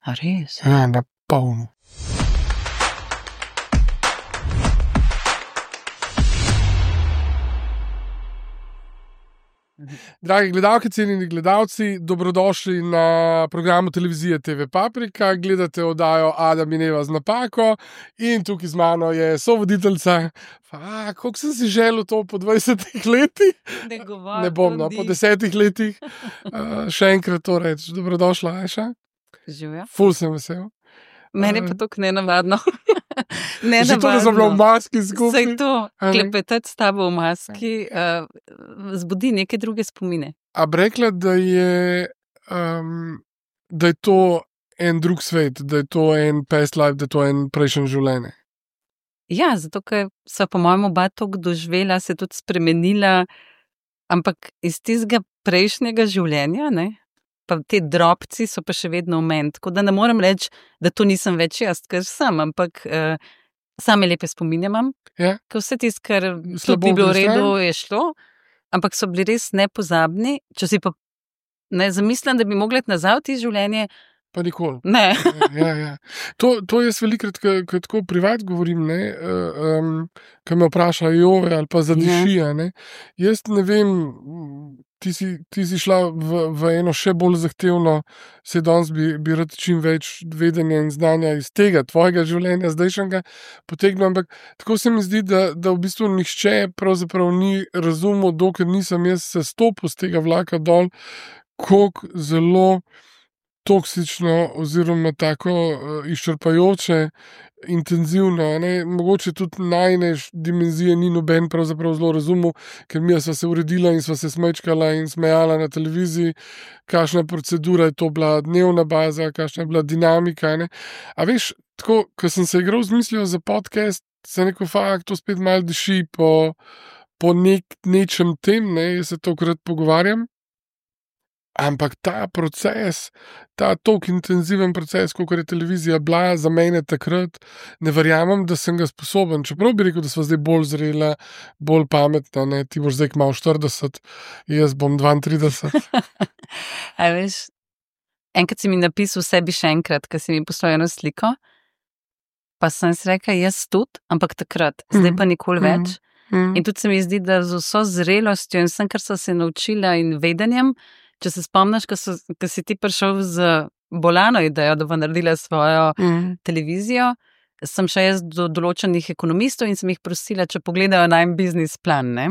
A res? Ja, na polno. Dragi gledalke, cenjeni gledalci, dobrodošli na programu televizije TV Paprika. Gledate oddajo Adam in Eva z napako in tukaj z mano je sovoditeljica. Koliko sem si želel to po 20 letih? Ne bom, no, po 10 letih. Še enkrat to reči. Dobrodošla, Ajša. Živjo. Ful sem vesel. Meni pa to nenavadno. Že to, da sem bila v maski skupaj. Saj to, klepetati s tabo v maski, zbudi neke druge spomine. A bi rekla, da je to en drug svet, da je to en past life, da je to en prejšnje življenje? Ja, zato, ker sva po mojem oba toliko doživela, se tudi spremenila, ampak iz tistega prejšnjega življenja, ne? Pa te drobci so pa še vedno v meni, tako da ne morem reči, da to nisem več jaz, ker sem, ampak same lepe spominje imam, Ja. ker vse tisto, kar Slabo tudi ni bilo v bilo redu, je šlo, ampak so bili res nepozabni. Če si pa ne zamislim, da bi mogla iti nazaj v tisto življenje, Pa nikoli. ne. Ja. To jaz velikrat, ko tako privat govorim, ko me vprašajo ali pa zadiši, ne. Jaz ne vem, ti si šla v eno še bolj zahtevno, se danes bi rad čim več vedenja in znanja iz tega tvojega življenja zdajšnjega potegnil, ampak tako se mi zdi, da v bistvu nihče pravzaprav ni razumel, dokler nisem jaz se stopil z tega vlaka dol, koliko zelo toksično oziroma tako izčrpajoče, intenzivno, ne, mogoče tudi najine dimenzije ni noben pravzaprav zelo razumel, ker mi sva se uredila in sva se smečkala in smejala na televiziji, kakšna procedura je to bila, dnevna baza, kakšna je bila dinamika, ne. A veš, tako, ko sem se igral z mislijo za podcast, sem rekel, to spet malo diši po nečem tem, ne, jaz se tokrat pogovarjam. Ampak ta proces, ta toliko intenziven proces, kakor je televizija bila za mene takrat, ne verjamem, da sem ga sposoben. Čeprav bi rekel, da sva zdaj bolj zrela, bolj pametna, ne, ti boš zdaj kmalu 40, jaz bom 32. A veš, enkrat si mi napisal sebi še enkrat, ker si mi poslal eno sliko, pa sem si rekla, jaz tudi, ampak takrat, zdaj pa nikoli več. In tudi se mi zdi, da z vso zrelostjo in vsem, kar sem se naučila in vedenjem, če se spomniš, ko si ti prišel z bolano idejo, da bo naredila svojo televizijo, sem še jaz do določenih ekonomistov in sem jih prosila, če pogledajo najin biznis plan, ne.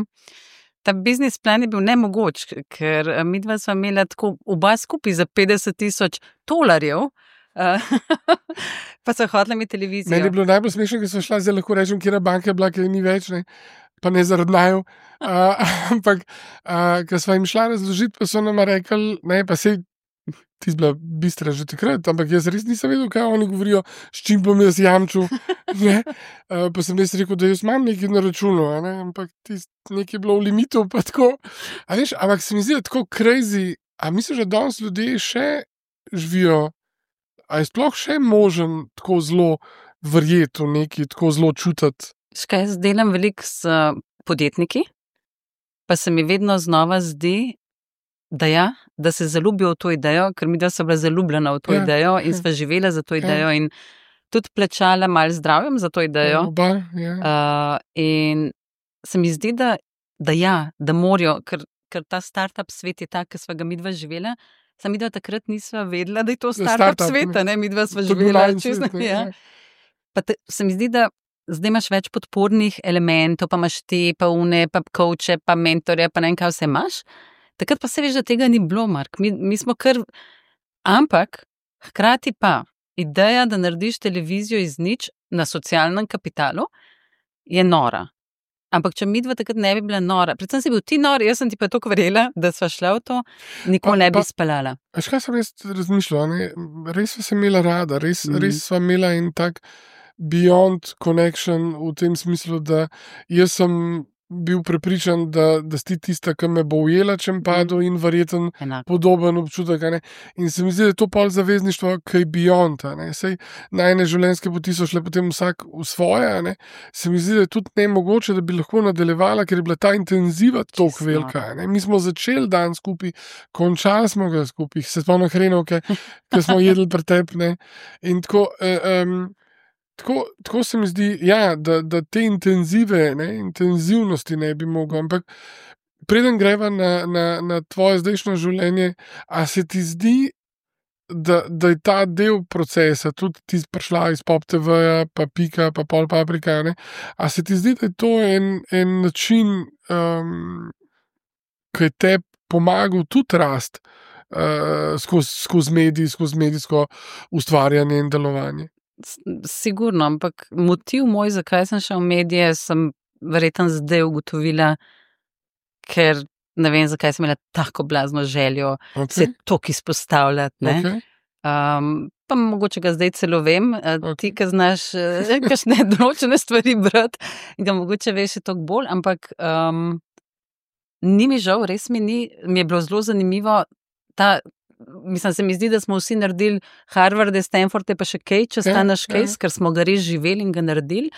Ta biznis plan je bil nemogoč, ker midva sva imela tako oba skupaj za $50,000, pa sva hotela imeti televizijo. Meni je bilo najbolj smešno, ker sva šla, zdaj lahko rečem, katera banka je bila, ker je ni več, ne. Pa ne zaradi naju, ampak ko sva jim šla razložiti, pa so nama rekli, ne, pa sej ti si bila bistra že takrat, ampak jaz res nisem vedel, kaj oni govorijo, s čim bom jaz jamčil, ne. Pa sem res rekel, da jaz imam nekaj na računu, ne, ampak nekaj je bilo v limitu, pa tako. A veš, ampak se mi zdi, da tako crazy, a misliš, da danes ljudje še živijo, a je sploh še možen tako zelo verjeti v nekaj, tako zelo čutiti? Škaj, jaz delam veliko s podjetniki, pa se mi vedno znova zdi, da se zaljubijo v to idejo, ker midva sva bila zaljubljena v to idejo in sva živela za to idejo in tudi plačala malo zdravjem za to idejo. Oba, in se mi zdi, da morajo, ker ta startup svet je tak, ki sva ga midva živela, samo midva takrat nisva vedela, da je to startup sveta, ne, midva sva živela čisto. Pa se mi zdi, da zdaj imaš več podpornih elementov, pa imaš te, pa une, pa coache, pa mentorje, pa ne vem, kaj vse imaš. Takrat pa se veš, da tega ni bilo, Mark. Mi smo kar... Ampak, hkrati pa, ideja, da narediš televizijo iz nič na socialnem kapitalu, je nora. Ampak, če midva takrat ne bi bila nora, predvsem si bil ti nor, jaz sem ti pa toliko verjela, da sva šla v to, nikoli ne bi speljala. Veš, kaj sem res razmišljala, ne? Res sva imela rada, res sva imela in tak beyond connection v tem smislu, da jaz sem bil prepričan, da si tista, ki me bo ujela, če mi padel in verjeten podoben občutek. Ne? In se mi zdi, da je to pol zavezništvo, ki je beyond. Sej najne življenjske poti so šle potem vsak v svoje. Ne? Se mi zdi, da je tudi nemogoče, da bi lahko nadaljevala, ker je bila ta intenziva toliko velika. Ne? Mi smo začeli dan skupaj, končali smo ga skupaj, se spomnim hrenovke, ki smo jedli pretepne. In tako se mi zdi, ja, da te intenzivnosti ne bi mogel. Ampak preden greva na tvoje zdajšnje življenje, a se ti zdi, da je ta del procesa, tudi ti prišla iz Pop TV-ja, pa Pika, pa Pol Paprika, ne? A se ti zdi, da je to en način, ki je te pomagal tudi rast skozi medij, skozi medijsko ustvarjanje in delovanje? Sigurno, ampak motiv moj, zakaj sem šel v medije, sem verjetno zdaj ugotovila, ker ne vem, zakaj sem imela tako blazno željo se toliko izpostavljati. Okay. Pa mogoče ga zdaj celo vem, ti, ki znaš kakšne določene stvari brati, in ga mogoče veš toliko bolj, ampak ni mi žal, res mi je bilo zelo zanimivo mislim, se mi zdi, da smo vsi naredili Harvarde, Stanforde, pa še kaj, čez ta naš case, ker smo ga res živeli in ga naredili.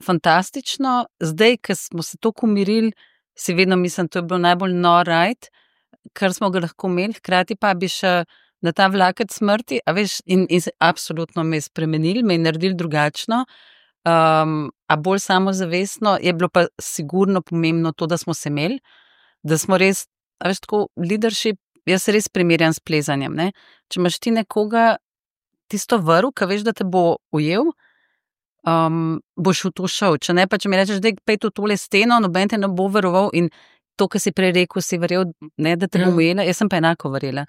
Fantastično. Zdaj, ko smo se toliko umirili, si vedno mislim, to je bilo najbolj ride, kar smo ga lahko imeli, hkrati pa bi še na ta vlakec smrti, a veš, in absolutno me je spremenili, me je naredili drugačno, a bolj samozavestno, je bilo pa sigurno pomembno to, da smo se imeli, da smo res, a veš, tako leadership. Jaz se res primerjam s plezanjem. Ne? Če imaš ti nekoga, tisto vrv, ki veš, da te bo ujel, boš v to šel. Če ne, pa če mi rečeš, da pej to tole steno, noben te ne bo veroval in to, kar si prej rekel, si verjel, ne, da te bom ujela, jaz sem pa enako verjela.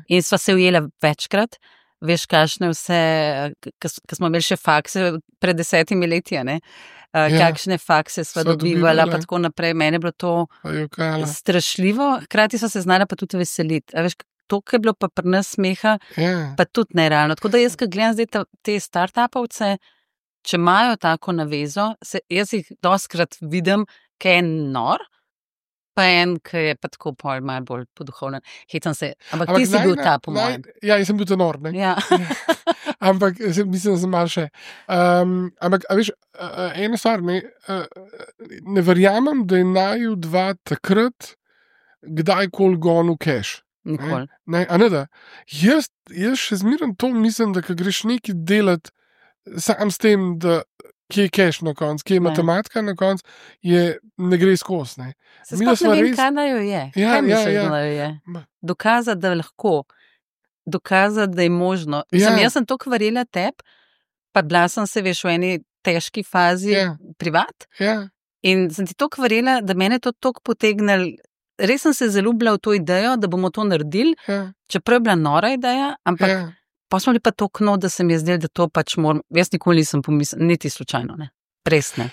In sva se ujela večkrat, veš, kakšne vse, ko smo imeli še fakse pred 10 leti, ne? Kakšne fakse sva dobivala, pa tako naprej. Mene je bilo to strašljivo, hkrati sva se znala pa tudi veseliti. A veš, to, kar je bilo pa pri nas smeha, pa tudi nerealno. Tako da jaz, ko gledam zdaj te start-upovce, če imajo tako navezo, jaz jih dostikrat vidim, ki je nor, pa en, ki je pa tako malo bolj poduhovljen. Hecam se, ampak ti si bil ta, po mojem. Ja, jaz sem bil ta nor, ne? Ja. Ampak mislim, da sem malo še. Ampak, a veš, ena stvar, ne verjamem, da je naju dva takrat kdajkoli gonil cash. Nikoli. A ne da? Jaz še zmeraj to mislim, da ko greš nekaj delati sam s tem, da kje je cash na koncu, kje je matematika na koncu, ne gre skozi. Se sploh ne vem, kaj naju je. Ja, kaj misliš, da naju je? Dokazati, da lahko. Dokazati, da je možno. Jaz sem toliko verjela tebi, pa bila sem se, veš, v eni težki fazi privat. In sem ti toliko verjela, da mene to toliko potegnil. Res sem se zaljubila v to idejo, da bomo to naredili, čeprav je bila nora ideja, ampak pa smo bili pa toliko, da se mi je zdelo, da to pač moram. Jaz nikoli nisem pomislila, niti slučajno, ne. Res ne.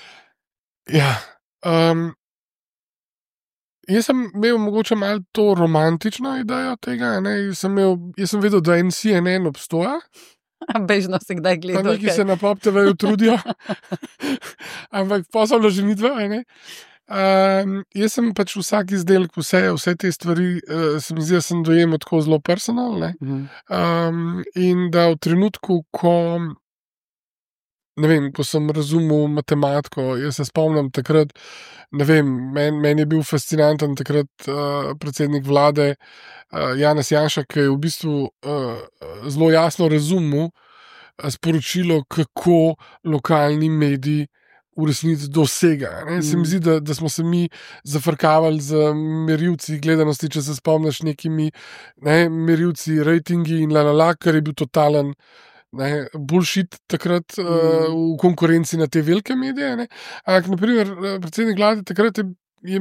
Ja. Jaz sem imel mogoče malo to romantično idejo tega, ne? Jaz sem vedel, da CNN obstoja. Bežno se kdaj gleda. Pa neki se na Pop TV-ju trudijo. Ampak posebno že midva, ne? Jaz sem pač vsak izdelek, vse te stvari, se mi zdi, da sem dojemal tako zelo personalne. In da v trenutku, ko sem razumel matematiko, jaz se spomnim takrat, meni je bil fascinanten takrat predsednik vlade Janez Janša, ki je v bistvu zelo jasno razumel sporočilo, kako lokalni mediji v resnici dosega. Se mi zdi, da smo se mi zafrkavali z merilci gledanosti, če se spomniš nekimi merilci, rejtingi in kar je bil totalen bullshit takrat v konkurenci na te velike medije. Ampak, naprimer, predsednik vlade takrat je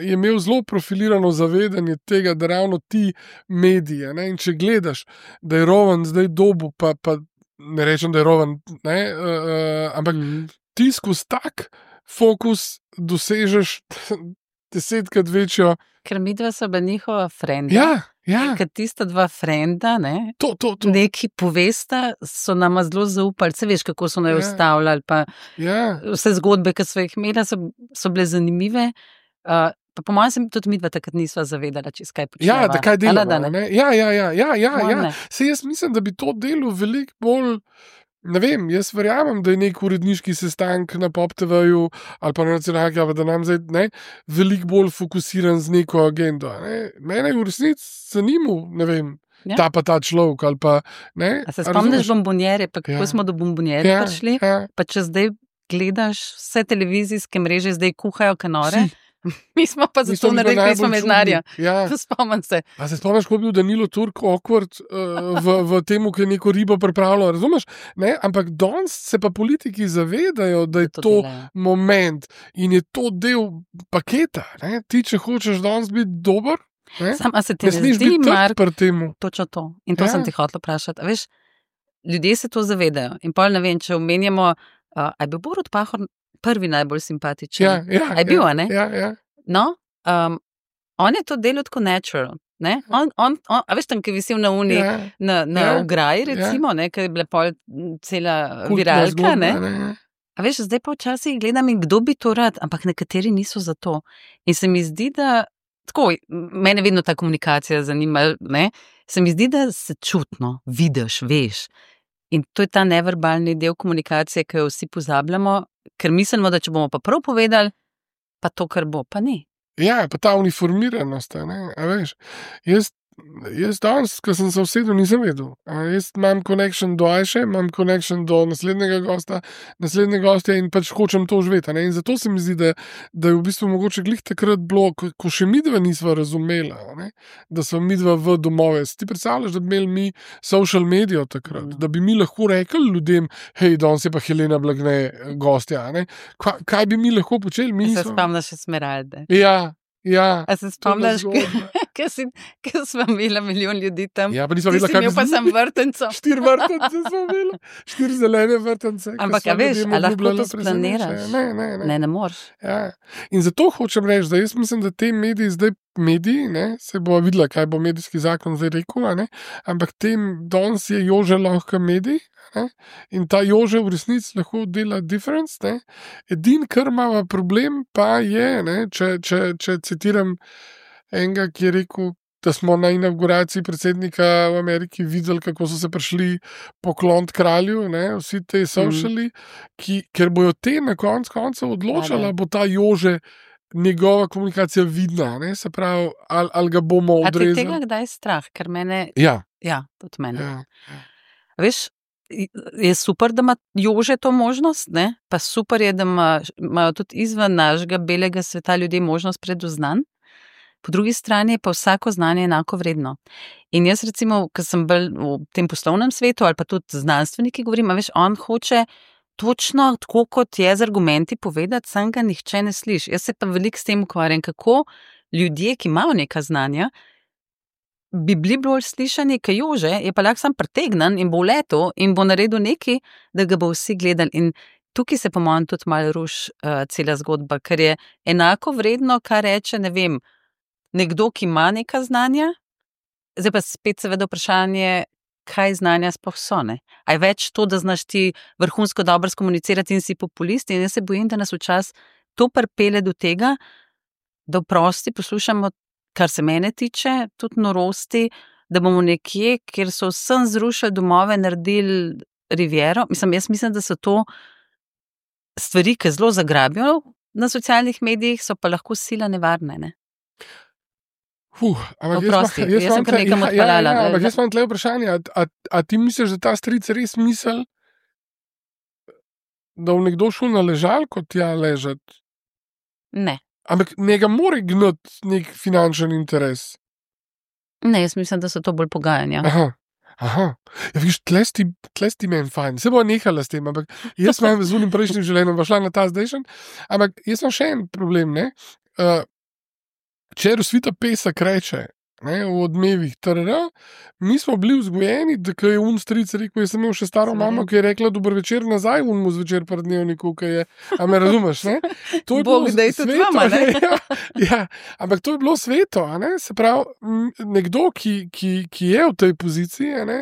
imel zelo profilirano zavedanje tega, da ravno ti mediji, in če gledaš, da je Rovan zdaj dobu, pa ne rečem, da je Rovan, ampak ti skozi tak fokus dosežeš 10-krat večjo. Ker midva so bila njihova frenda. Ker tista dva frenda, neki povesta, so nama zelo zaupali. Se veš, kako so naj ustavljali, pa vse zgodbe, ki so jih imeli, so bile zanimive. Pa po mojem se tudi midva takrat nisva zavedala, čez kaj počneva. Ja, da kaj delamo. Ja. Se jaz mislim, da bi to delo veliko bolj, ne vem, jaz verjamem, da je nek uredniški sestank na Pop TV-ju ali pa na nacionalki, da nam zdaj veliko bolj fokusiran z neko agendo. Mene je v resnici zanimal, ne vem, ta pa ta človek ali pa, ne. A se spomniš bombonjere, pa kako smo do bombonjere prišli? Pa če zdaj gledaš vse televizijske mreže, zdaj kuhajo kanore. Mi smo pa zato naredili pismo mednarja. Spomnim se. A se spomniš, ko je bil Danilo Turk awkward v temu, ki je neko ribo pripravljal, razumeš? Ampak danes se pa politiki zavedajo, da je to moment in je to del paketa. Ti, če hočeš danes biti dober, a se ti ne zdi, Mark, točno to. In to sem ti hotel vprašati. A veš, ljudje se to zavedajo. In pol ne vem, če omenjamo, a je bil Borut Pahor prvi najbolj simpatičen. A je bil, a ne? Ja. No, on je to delal tako natural. A veš tam, ki je visil na uni, na ograji, recimo, ki je bila pol cela viralka, ne? A veš, zdaj pa včasih gledam in kdo bi to rad, ampak nekateri niso za to. In se mi zdi, da tako, mene vedno ta komunikacija zanima, ne? Se mi zdi, da se čutno vidiš, veš. In to je ta neverbalni del komunikacije, ki jo vsi pozabljamo, ker mislimo, da če bomo pa prav povedali, pa to, kar bo, pa ni. Ja, pa ta uniformiranost, ne, a veš, jaz danes, ko sem se usedel, nisem vedel. Jaz imam connection do Ajše, imam connection do naslednjega gostja in pač hočem to živeti. In zato se mi zdi, da je v bistvu mogoče glih takrat bilo, ko še midva nisva razumela, da so midva v domove. Ti predstavljaš, da bi imeli mi social medijo takrat, da bi mi lahko rekli ljudem, hej, danes je pa Helena Blagne gostja. Kaj bi mi lahko počeli? Se spomniš še Smeralde. Ja. A se spomniš, ker smo imeli milijon ljudi tam? Ja, pa nismo vedela, kaj bi pa sem vrtenco. 4 vrtence smo imeli. 4 zelene vrtence. Ampak, a veš, a lahko to splaniraš? Ne moreš. Ja. In zato hočem reči, da jaz mislim, da te mediji zdaj, se bo videla, kaj bo medijski zakon zdaj rekel, ampak danes je Jože lahko medij, in ta Jože v resnici lahko dela difference. Edin, kar ima problem, pa je, če citiram enega, ki je rekel, da smo na inauguraciji predsednika v Ameriki videli, kako so se prišli pokloniti kralju, vsi te sociali, ker bojo te na koncu odločala, bo ta Jože njegova komunikacija vidna, se pravi, ali ga bomo odrezali. A ti tega kdaj strah? Ker mene... Ja, tudi mene. Ja. Veš, je super, da ima Jože to možnost, pa super je, da imajo tudi izven našega belega sveta ljudje možnost predoznanj. Po drugi strani je pa vsako znanje enako vredno. In jaz recimo, ko sem bolj v tem poslovnem svetu ali pa tudi znanstveniki govorim, a veš, on hoče točno tako, kot je z argumenti povedati, sam ga nihče ne sliši. Jaz se pa veliko s tem ukvarjam, kako ljudje, ki imajo neka znanja, bi bili bolj slišani, kaj Jože, je pa lahko sam pretegnan in bo v letu in bo naredil nekaj, da ga bo vsi gledali. In tukaj se po mojem tudi malo ruši cela zgodba, ker je enako vredno, kar reče, ne vem, nekdo, ki ima neka znanja, zdaj pa spet seveda vprašanje, kaj znanja sploh so, ne? A je več to, da znaš ti vrhunsko dobro skomunicirati in si populist, in jaz se bojim, da nas včasih to pripelje do tega, da vprosti poslušamo, kar se mene tiče, tudi norosti, da bomo nekje, kjer so vsem zrušili domove, naredili riviero. Jaz mislim, da so to stvari, ki zelo zagrabijo na socialnih medijih, so pa lahko sila nevarne, ne? Ampak jaz sem kar nekam odpeljala. Ampak jaz imam tle vprašanje, a ti misliš, da ta stric res misli, da v nekdo šel na ležalko tja ležati? Ne. Ampak njega mora gnati nek finančen interes? Ne, jaz mislim, da so to bolj pogajanja. Aha. Ja, viš, tlesti meni fajn. Se bo nehala s tem, ampak jaz imam z unim prejšnjim življenjem, šla na ta zdajšen, ampak jaz imam še en problem, ne? Če Rosvita Pesek reče, ne, v odmevih, mi smo bili vzgojeni, da je stric rekel, jaz sem imel še staro mamo, ki je rekla, dober večer nazaj, mu zvečer pred dnevniku, ki je, a me razumeš, ne? To je Bog, da je tudi vama, ne? Ja, ampak to je bilo sveto, a ne? Se pravi, nekdo, ki je v tej poziciji, a ne,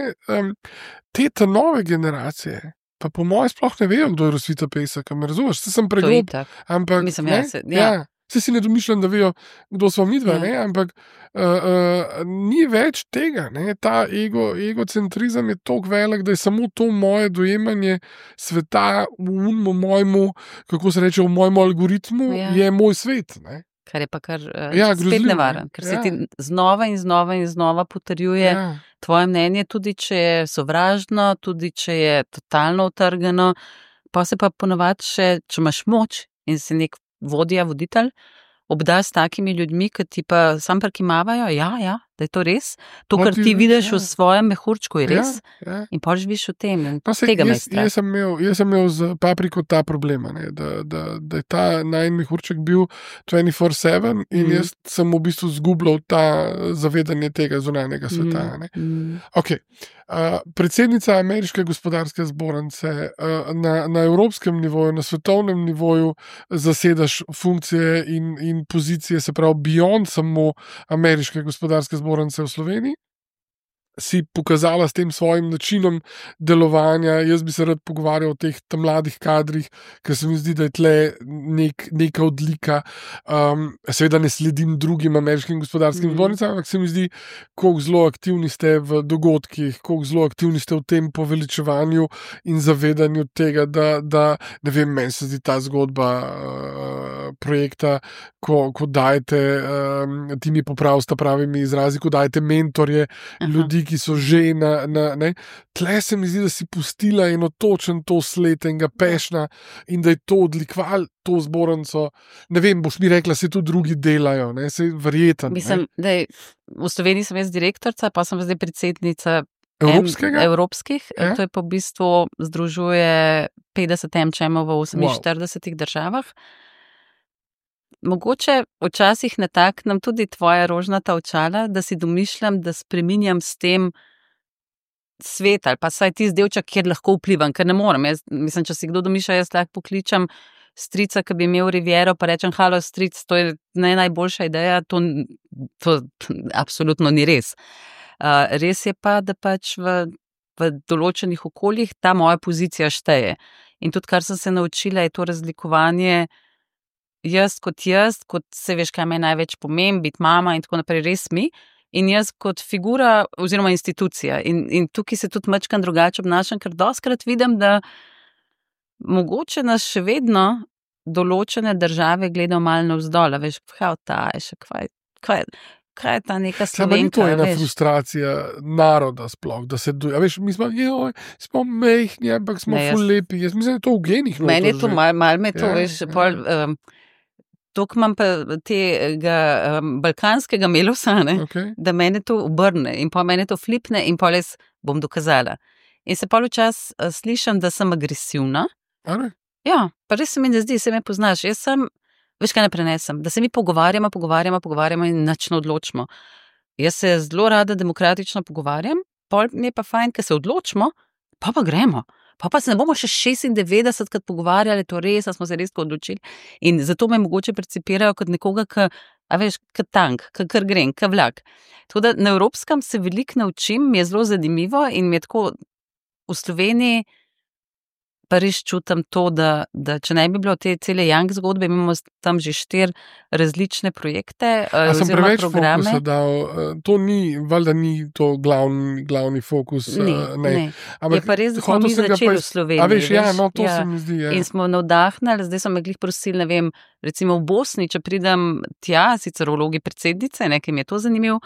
te nove generacije, pa po mojem sploh ne vejo, kdo je Rosvita Pesek, a me razumeš, se sem pregrob, ampak, mislim, ja. Se si ne domišljam, da vejo, kdo smo mi dva, ampak ni več tega. Ne? Ta egocentrizem je tako velik, da je samo to moje dojemanje sveta v mojemu, kako se reče, v mojem algoritmu, je moj svet. Ne? Kar je pa spet nevaren, ker se ti znova in znova potrjuje tvoje mnenje, tudi če je sovražno, tudi če je totalno utrgano, pa se pa ponovadi še, če imaš moč in si nek voditelj, obdaš s takimi ljudmi, ki ti pa sam prikimavajo, da je to res, to, kar ti vidiš v svojem mehurčku, je res, in pa živiš v tem, in tega me strah. Jaz sem imel z Papriko ta problema, da je ta najin mehurček bil 24/7 in jaz sem v bistvu zgubljal ta zavedanje tega zunanjega sveta. Ok. Predsednica Ameriške gospodarske zbornice na evropskem nivoju, na svetovnem nivoju zasedaš funkcije in pozicije, se pravi beyond samo Ameriške gospodarske zbornice v Sloveniji, si pokazala s tem svojim načinom delovanja. Jaz bi se rad pogovarjal o teh mladih kadrih, ker se mi zdi, da je tle neka odlika. Seveda ne sledim drugim ameriškim gospodarskim zbornicam, ampak se mi zdi, koliko zelo aktivni ste v dogodkih, koliko zelo aktivni ste v tem poveličevanju in zavedanju tega, da ne vem, meni se zdi ta zgodba projekta, ko dajete, ti mi popravsta pravimi izrazi, ko dajete mentorje, ljudi, ki so že tle se mi zdi, da si pustila eno točen to sled enega pešna in da je to odlikval to zbornico. Ne vem, boš mi rekla, se tudi drugi delajo, se verjetno. Mislim, da v Sloveniji sem jaz direktorica, pa sem zdaj predsednica evropskih. To je pa v bistvu združuje 50 MČM v 48 državah. Mogoče včasih nataknem tudi tvoja rožnata očala, da si domišljam, da spreminjam s tem svet ali pa saj tisti delček, kjer lahko vplivam, ker ne morem. Mislim, če si kdo domišlja, jaz lahko pokličem strica, ki bi imel riviero, pa rečem, halo stric, to je najboljša ideja, to absolutno ni res. Res je pa, da pač v določenih okoljih ta moja pozicija šteje. In tudi, kar sem se naučila, je to razlikovanje jaz, kot se veš, kaj me največ pomeni, biti mama in tako naprej, res mi, in jaz kot figura oziroma institucija. In tukaj se tudi majčkeno drugače obnašam, ker dostikrat vidim, da mogoče nas še vedno določene države gledajo malo navzdol, veš, kaj je ta neka Slovenka. To je ena frustracija naroda sploh, da se doja. Veš, mi smo mehni, ampak smo ful lepi. Jaz mislim, da je to v genih. Meni je to, malo me to, veš, tok imam pa tega balkanskega melosa, da mene to obrne in pa mene to flipne in pa les bom dokazala. In se pa včas slišam, da sem agresivna. Ja, pa res se mi ne zdi, se me poznaš. Jaz sem, veš, kaj ne prenesem, da se mi pogovarjamo in nič ne odločimo. Jaz se zelo rada demokratično pogovarjam, pol mi je pa fajn, ker se odločimo, pa gremo. Pa se ne bomo še 96krat pogovarjali, to res, smo se res odločili. In zato me mogoče percipirajo kot nekoga, kot tank, kar grem, kot vlak. Tako da na evropskem se veliko naučim, mi je zelo zanimivo in mi je tako v Sloveniji pa res čutim to, da če ne bi bilo te cele Young zgodbe, imamo tam že 4 različne projekte oziroma programe. A sem preveč fokusa dal, to ni, valjda ni to glavni fokus. Ne. Je pa res, da smo mi začeli v Sloveniji. A veš, to se mi zdi. In smo navdahnili, zdaj so me glih prosili, ne vem, recimo v Bosni, če pridem tja, sicer v vlogi predsednice, ki mi je to zanimivo,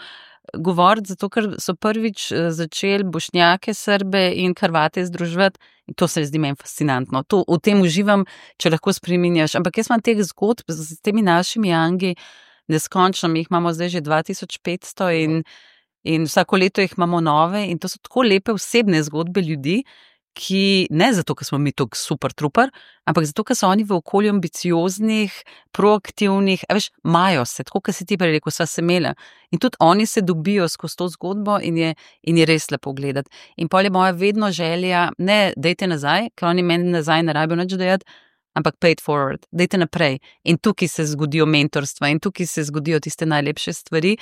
govoriti, zato ker so prvič začeli Bošnjake, Srbe in Hrvate združevati in to se zdi meni fascinantno. V tem uživam, če lahko spreminjaš. Ampak jaz imam teh zgodb s temi našimi Youngi neskončno, mi jih imamo zdaj že 2500 in vsako leto jih imamo nove in to so tako lepe osebne zgodbe ljudi, ki ne zato, ker smo mi tako super trooper, ampak zato, ker so oni v okolju ambicioznih, proaktivnih, a veš, imajo se, tako kot si ti prej rekel, sva se imela. In tudi oni se dobijo skozi to zgodbo in je res lepo gledati. In pol je moja vedno želja, ne dajte nazaj, ker oni meni nazaj ne rabijo nič dajati, ampak pay it forward, dajte naprej. In tukaj se zgodijo mentorstva in tukaj se zgodijo tiste najlepše stvari.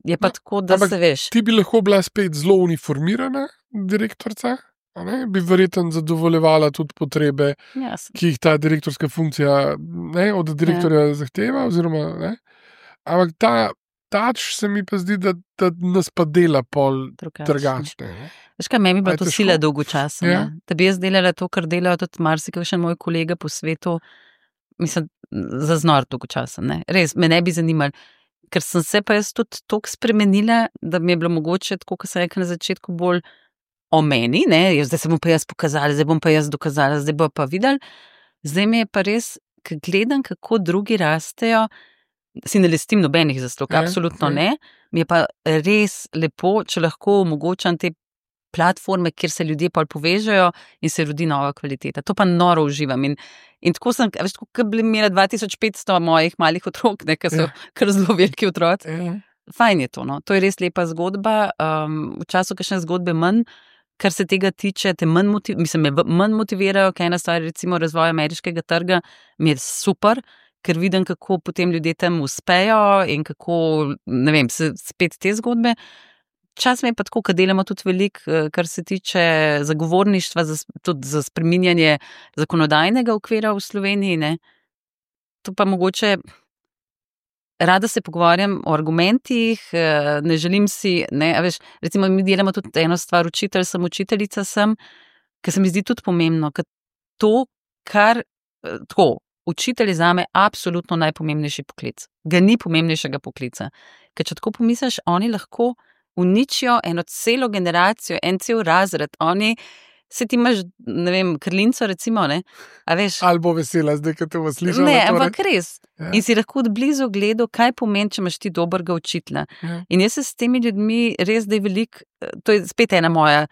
Je pa tako, da se veš. Ti bi lahko bila spet zelo uniformirana direktorica, bi verjetno zadovoljevala tudi potrebe, ki jih ta direktorska funkcija od direktorja zahteva, oziroma, ampak tač se mi pa zdi, da nas pa dela pol drugačne. Veš kaj, meni bi bila to sila dolgočasna. Da bi jaz delala to, kar delajo tudi marsikaj moj kolega po svetu, mislim, za znor dolgočasen. Res, me ne bi zanimali. Ker sem se pa jaz tudi toliko spremenila, da mi je bilo mogoče, tako kot sem rekla na začetku, bolj o meni, zdaj se bom pa jaz pokazala, zdaj bom pa jaz dokazala, zdaj bo pa videli. Zdaj mi je pa res, ker gledam, kako drugi rastejo, si ne lestim nobenih zaslug, absolutno ne. Mi je pa res lepo, če lahko omogočam te platforme, kjer se ljudje pol povežejo in se rodi nova kvaliteta. To pa noro uživam. In tako sem, veš, tako bi imela 2500 mojih malih otrok, ki so kar zelo veliki otroci. Fajn je to, no. To je res lepa zgodba. V času kakšne zgodbe manj, kar se tega tiče, te manj motivirajo, kaj ena stvar, recimo razvoj ameriškega trga, mi je super, ker vidim, kako potem ljudje tam uspejo in kako, ne vem, spet te zgodbe. Čas mi je pa tako, kad delamo tudi veliko, kar se tiče zagovorništva, tudi za spreminjanje zakonodajnega okvira v Sloveniji, ne. To pa mogoče, rada se pogovarjam o argumentih, ne želim si, a veš, recimo mi delamo tudi eno stvar, učiteljica sem, ker se mi zdi tudi pomembno, ker to, kar, tako, učitelj je zame absolutno najpomembnejši poklic. Ga ni pomembnejšega poklica. Ker če tako pomisliš, oni lahko uničijo eno celo generacijo, en cel razred, oni, se ti imaš, ne vem, krlinco recimo, ne, a veš. Ali bo vesela zdaj, kad te bo slišala. Ne, ampak res. Ja. In si lahko od blizu gledal, kaj pomeni, če imaš ti dobrega učitelja. Ja. In jaz se s temi ljudmi res, da je veliko, to je spet ena moja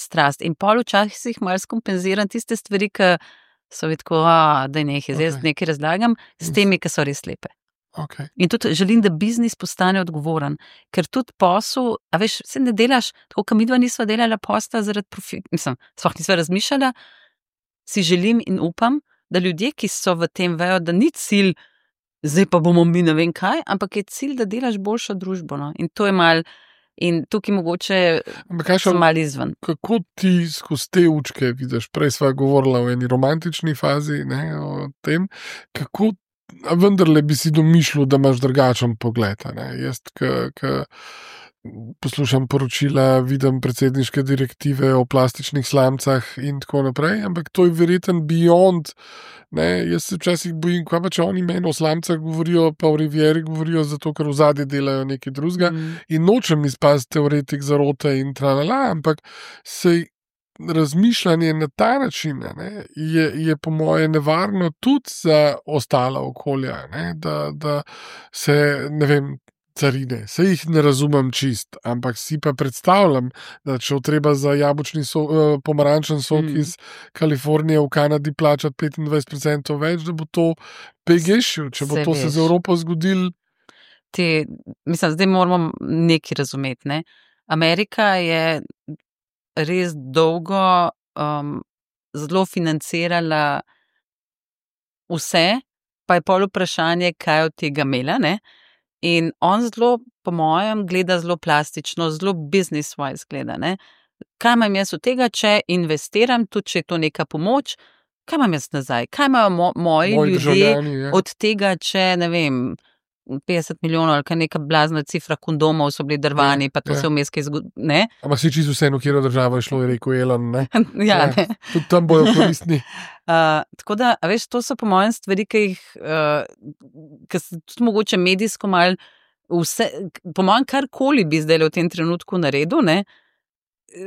strast. In pol včasih malo skompenziram tiste stvari, ki so tako, da je nekaj, zdaj nekaj razlagam, s temi, ki so res lepe. Okay. In tudi želim, da biznis postane odgovoren, ker tudi posel, a veš, se ne delaš, tako kot midva nisva delala posla zaradi profita, mislim, sploh nisva razmišljala, si želim in upam, da ljudje, ki so v tem, vejo, da ni cilj, zdaj pa bomo mi ne vem kaj, ampak je cilj, da delaš boljšo družbo, no? In to je mal, in tukaj mogoče sem mal izven. Kako ti skozi te učke vidiš, prej sva govorila o eni romantični fazi, o tem, kako vendarle bi si domišljal, da imaš drugačen pogled. Jaz, ki poslušam poročila, vidim predsedniške direktive o plastičnih slamcah in tako naprej, ampak to je verjetno beyond. Jaz se včasih bojim, kaj pa če oni meni o slamcah govorijo, pa o Rivieri govorijo, zato ker v zadnji delajo nekaj drugega in nočem izpasti teoretik zarote in tralala, ampak sej razmišljanje na ta način je po moje nevarno tudi za ostala okolja, da se, ne vem, carine, se jih ne razumem čist, ampak si pa predstavljam, da če treba za jabolčni pomarančen sok iz Kalifornije v Kanadi plačati 25% več, da bo to pegešil, če bo to se z Evropo zgodil. Mislim, zdaj moramo nekaj razumeti, ne. Amerika je res dolgo zelo financirala vse, pa je pol vprašanje, kaj od tega imela, ne? In on zelo, po mojem, gleda zelo plastično, zelo business-wise gleda, ne? Kaj imam jaz od tega, če investiram, tudi če je to neka pomoč, kaj imam jaz nazaj? Kaj imajo moji ljudje od tega, če, ne vem, 50 milijonov ali kaj neka blazna cifra kondomov so bili drvani, pa to se vmes kaj zgodi, ne? Ampak si čisto vseeno, kjero država je šlo, je rekel Elon, ne? Ja, ne. Tudi tam bojo koristni. Tako da, a veš, to so po mojem stvari, ki se tudi mogoče medijsko malo vse, po mojem karkoli bi zdaj v tem trenutku naredil, ne,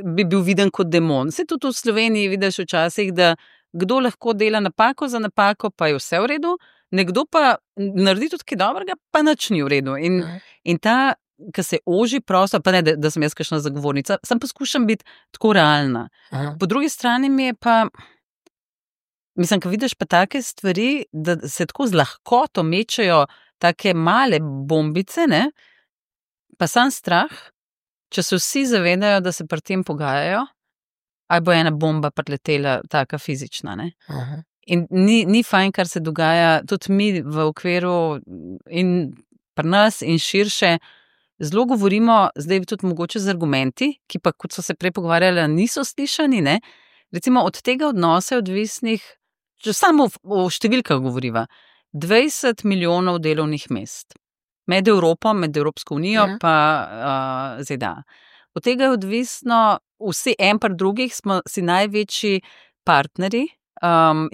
bi bil viden kot demon. Se tudi v Sloveniji vidiš včasih, da kdo lahko dela napako za napako, pa je vse v redu, nekdo pa naredi tudi kaj dobrega, pa nič ni v redu. In ta ko se oži prostor, pa ne, da sem jaz kakšna zagovornica, sem poskušam biti tako realna. Aha. Po drugi strani mi je pa, mislim, ko vidiš pa take stvari, da se tako z lahkoto mečejo take male bombice, ne, pa sam strah, če se vsi zavedajo, da se pri tem pogajajo, ali bo ena bomba priletela, taka fizična, ne. Aha. In ni fajn, kar se dogaja, tudi mi v okviru in pri nas in širše, zelo govorimo, zdaj tudi mogoče z argumenti, ki pa, kot so se prej pogovarjali, niso slišani, ne. Recimo od tega odnosa je odvisnih, če samo o številkah govoriva, 20 milijonov delovnih mest. Med Evropo, med Evropsko unijo pa ZDA. Od tega je odvisno, vsi en pri drugih smo si največji partnerji,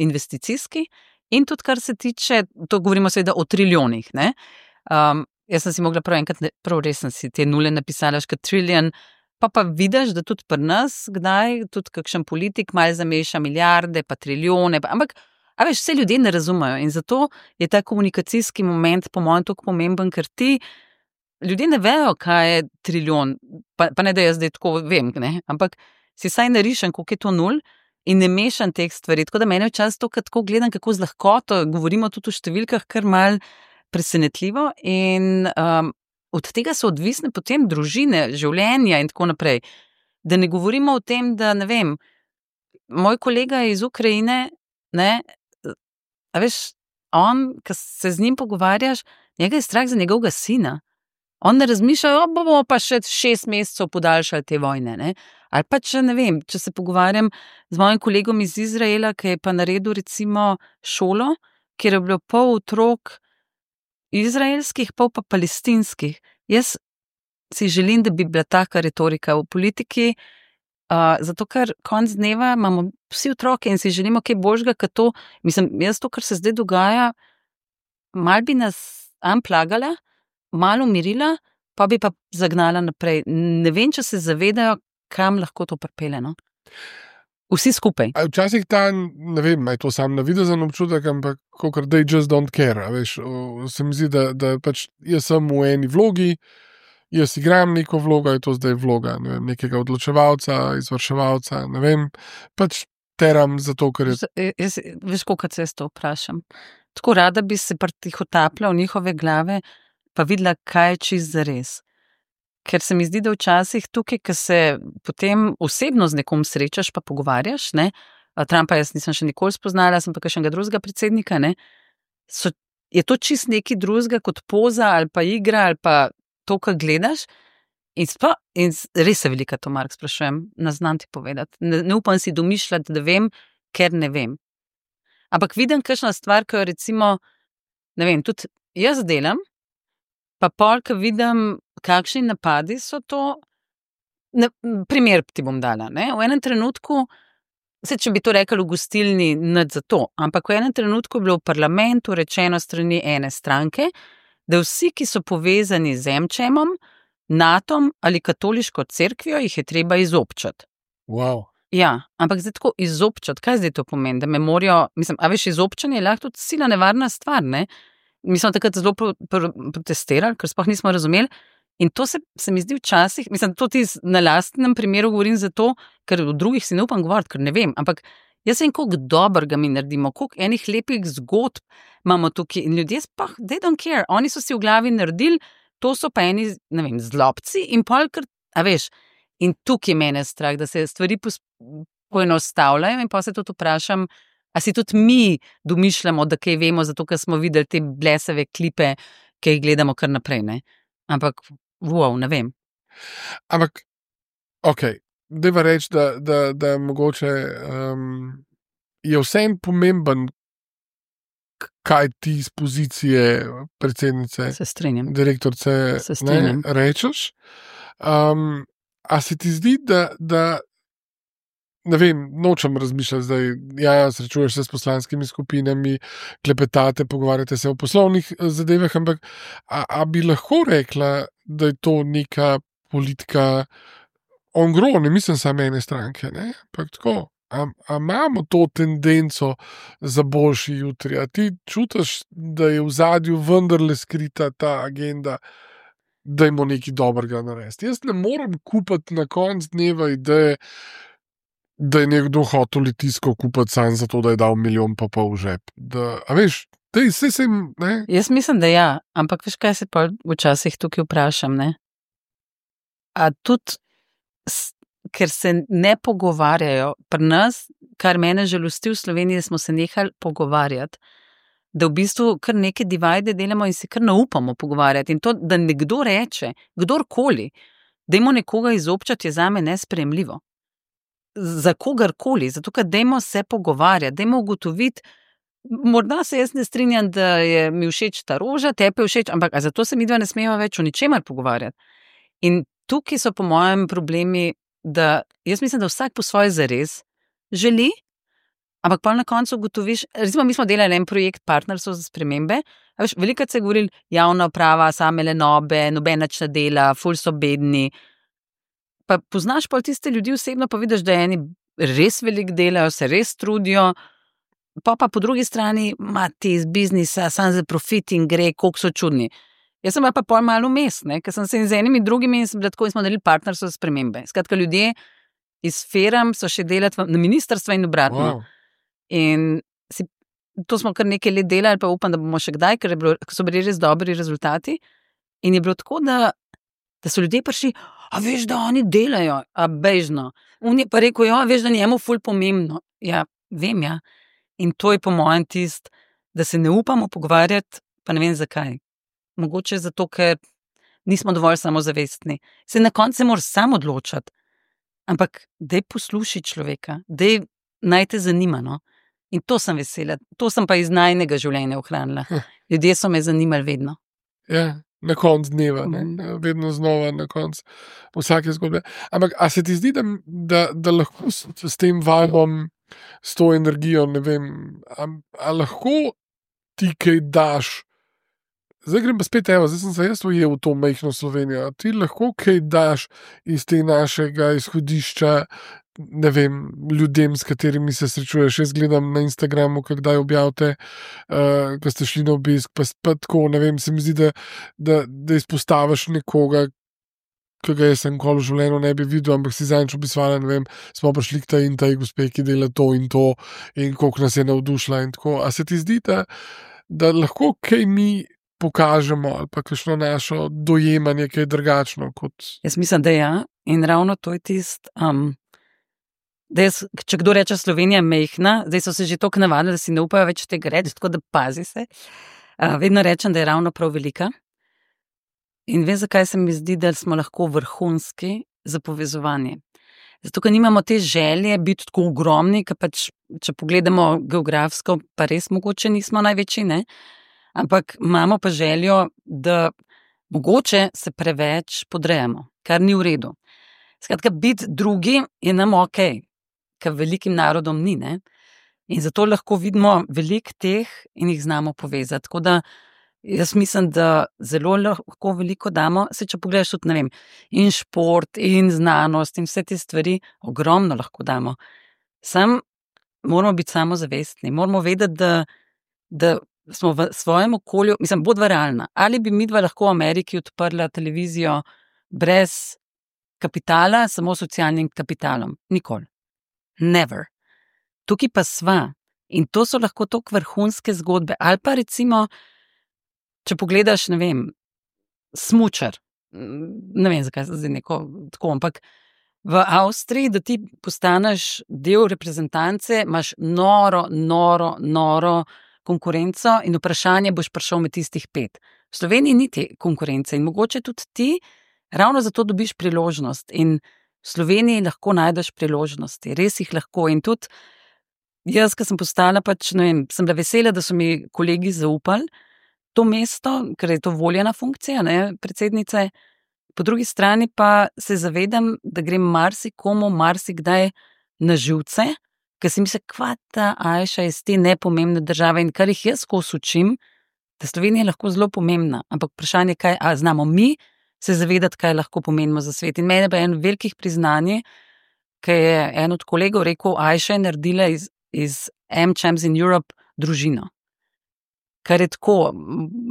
investicijski, in tudi kar se tiče, to govorimo seveda o triljonih, ne. Jaz sem si mogla prav enkrat, prav res sem si te nule napisala, kot trillion, pa vidiš, da tudi pri nas, kdaj, tudi kakšen politik malo zameša milijarde, pa trilijone, ampak, a veš, vse ljudje ne razumejo in zato je ta komunikacijski moment po mojem tako pomemben, ker ti ljudje ne vejo, kaj je trilijon, pa ne, da jaz zdaj tako vem, ne, ampak si saj narišem, koliko je to nul in ne mešam teh stvari, tako da mene včasih to, tako gledam, kako z lahkoto govorimo tudi o številkah, kar malo presenetljivo in od tega so odvisne potem družine, življenja in tako naprej. Da ne govorimo o tem, da ne vem, moj kolega iz Ukrajine, ne, a veš, on, ko se z njim pogovarjaš, njega je strah za njegovega sina. On ne razmišlja, bomo pa še 6 mesecev podaljšali te vojne, ne. Ali pa če, ne vem, če se pogovarjam z mojim kolegom iz Izraela, ki je pa naredil recimo šolo, kjer je bilo pol otrok izraelskih, pol pa palestinskih. Jaz si želim, da bi bila taka retorika v politiki, zato ker konec dneva imamo vsi otroke in si želimo kaj boljšega, kot to, mislim, jaz to, kar se zdaj dogaja, malo bi nas unplagala, malo umirila, pa bi pa zagnala naprej. Ne vem, če se zavedajo, kam lahko to pripelje, no. Vsi skupaj. Včasih ta, ne vem, je to sam navidezen občutek, ampak kakor they just don't care, a veš, se mi zdi, da pač jaz sem v eni vlogi, jaz igram neko vlogo, je to zdaj vloga, ne vem, nekega odločevalca, izvrševalca, ne vem, pač teram zato, ker je... Veš, kolikrat se jaz to vprašam. Tako rada bi se pritihotapila v njihove glave, pa videla, kaj je čist zares. Ker se mi zdi, da včasih tukaj, ko se potem osebno z nekom srečaš, pa pogovarjaš, ne, Trumpa jaz nisem še nikoli spoznala, sem pa kakšnega drugega predsednika, ne, je to čist nekaj drugega kot poza ali pa igra ali pa to, kar gledaš, in res se velika to, Mark, sprašujem, ne znam ti povedati, ne upam si domišljati, da vem, ker ne vem. Ampak vidim kakšna stvar, ko jo recimo, ne vem, tudi jaz delam, pa pol, ko vidim, kakšni napadi so to, primer ti bom dala, ne, v enem trenutku, če bi to rekli v gostilni, nič za to, ampak v enem trenutku je bilo v parlamentu rečeno strani ene stranke, da vsi, ki so povezani z Emčemom, Natom ali katoliško cerkvijo, jih je treba izobčati. Wow. Ja, ampak zdaj tako izobčati, kaj zdaj to pomeni, da me morajo, mislim, a veš, izobčanje je lahko tudi sila nevarna stvar, ne. Mi smo takrat zelo protestirali, ker sploh nismo razumeli. In to se mi zdi včasih, mislim, to ti na lastnem primeru govorim zato, ker v drugih si ne upam govoriti, ker ne vem, ampak jaz vem, koliko dobrega mi naredimo, koliko enih lepih zgodb imamo tukaj in ljudje sploh, they don't care, oni so si v glavi naredili, to so pa eni, ne vem, zlobci in pol, ker, a veš, in tukaj mene strah, da se stvari poenostavljajo in pa se tudi vprašam, a si tudi mi domišljamo, da kaj vemo, zato ker smo videli te blesave klipe, ki jih gledamo kar naprej, ne. Ampak, wow, ne vem. Ampak, okej, dajva reči, da mogoče je vseeno pomemben, kaj ti iz pozicije predsednice, Se strinjam. direktorice, Se strinjam. rečeš. A se ti zdi, da ne vem, nočem razmišljati zdaj, ja, srečuješ se s poslanskimi skupinami, klepetate, pogovarjate se o poslovnih zadevah, ampak a bi lahko rekla, da je to neka politika on gro, ne mislim samo ene stranke, ne, ampak tako, a imamo to tendenco za boljši jutri, a ti čutiš, da je v zadju vendarle skrita ta agenda dajmo nekaj dobrega narediti. Jaz ne morem kupiti na koncu dneva ideje, da je nekdo hotel Litijsko kupiti samo zato, da je dal 1,5 milijona v žep. A veš, vse sem, ne? Jaz mislim, da ja, ampak veš, kaj se pa včasih tukaj vprašam, ne? A tudi, ker se ne pogovarjajo pri nas, kar mene žalosti v Sloveniji, smo se nehali pogovarjati, da v bistvu kar neke divide delamo in se kar ne upamo pogovarjati. In to, da nekdo reče, kdorkoli, dajmo nekoga izobčati, je zame nesprejemljivo. Za kogarkoli, zato ker dajmo se pogovarjati, dajmo ugotoviti, morda se jaz ne strinjam, da je mi všeč ta roža, tebi je všeč, ampak zato se midva ne smeva več o ničemer pogovarjati. In tukaj so po mojem problemi, da jaz mislim, da vsak po svoje zares želi, ampak pa na koncu ugotoviš, recimo mi smo delali en projekt Partnerstvo za spremembe, a veš, velikokrat se je govorilo, javna uprava, same lenobe, nobena nič ne dela, ful so bedni. Pa poznaš pol tiste ljudi osebno, pa vidiš, da eni res veliko delajo, se res trudijo, pa po drugi strani ima ti iz biznisa, sam za profit in gre, koliko so čudni. Jaz sem pa pol malo vmes, ker sem se z enimi drugimi in smo naredili Partnerstvo za spremembe. Skratka, ljudje iz firm so še delati na ministrstvu in obratno. Wow. In to smo kar nekaj let delali, pa upam, da bomo še kdaj, ker so bili res dobri rezultati. In je bilo tako, da so ljudje prišli, a veš, da oni delajo, a bežno. On je pa rekel, ja, veš, da njemu ful pomembno. Ja, vem, ja. In to je po mojem tist, da se ne upamo pogovarjati, pa ne vem zakaj. Mogoče zato, ker nismo dovolj samozavestni. Se na koncu se moraš sam odločati. Ampak daj poslušaj človeka, daj naj te zanima, no. In to sem vesela. To sem pa iz najnega življenja ohranila. Ljudje so me zanimali vedno. Ja, na koncu dneva, vedno znova na koncu vsake zgodbe. Ampak, a se ti zdi, da lahko s tem vibom, s to energijo, ne vem, a lahko ti kaj daš? Zdaj grem pa spet, zdaj sem se jaz ujel v to majhno Slovenijo. Ti lahko kaj daš iz te našega izhodišča, ne vem, ljudem, s katerimi se srečuješ. Jaz gledam na Instagramu, kdaj objavite, ko ste šli na obisk, pa tako, ne vem, se mi zdi, da izpostaviš nekoga, ki ga jaz enkoli v življenju ne bi videl, ampak si zadnjič obiskala, ne vem, smo prišli k tej gospe, ki dela to in koliko nas je navdušila in tako. A se ti zdi, da lahko kaj mi pokažemo ali pa kakšno našo dojemanje, kaj je drugačno kot... Jaz mislim, da ja, in ravno to je tist, da če kdo reče Slovenija mehna, zdaj so se že toliko navadili, da si ne upajo več tega reči, tako da pazi se. Vedno rečem, da je ravno prav velika. In vem, zakaj se mi zdi, da smo lahko vrhunski za povezovanje. Zato, ker nimamo te želje biti tako ogromni, ker pač, če pogledamo geografsko, pa res mogoče nismo največji, ne? Ampak imamo pa željo, da mogoče se preveč podrejamo, kar ni v redu. Skratka, biti drugi je nam okej, ker velikim narodom ni, ne? In zato lahko vidimo veliko teh in jih znamo povezati. Tako da jaz mislim, da zelo lahko veliko damo, če pogledaš tudi, ne vem, in šport, in znanost, in vse te stvari, ogromno lahko damo. Sam moramo biti samozavestni, moramo vedeti, da smo v svojem okolju, mislim, bodva realna. Ali bi midva lahko v Ameriki odprla televizijo brez kapitala, samo socialnim kapitalom? Nikoli. Never. Tukaj pa sva. In to so lahko toliko vrhunske zgodbe. Ali pa recimo, če pogledaš, ne vem, smučar, ne vem, zakaj se zdaj neko tako, ampak v Avstriji, da ti postaneš del reprezentance, imaš noro konkurenco in vprašanje, boš prišel med tistih 5. V Sloveniji ni te konkurence in mogoče tudi ti ravno zato dobiš priložnost in v Sloveniji lahko najdeš priložnosti, res jih lahko. In tudi jaz, ko sem postala pač, ne vem, sem bila vesela, da so mi kolegi zaupali to mesto, ker je to voljena funkcija, ne, predsednice. Po drugi strani pa se zavedam, da grem marsikomu marsikdaj na živce, ker si misli, kva ta Ajša iz te nepomembne države in kar jih jaz skozi učim, da Slovenija je lahko zelo pomembna, ampak vprašanje je, kaj znamo mi se zavedati, kaj lahko pomenimo za svet. In mene pa je en velikih priznanje, ker je en od kolegov rekel, Ajša je naredila iz AmChams in Europe družino. Kar je tako,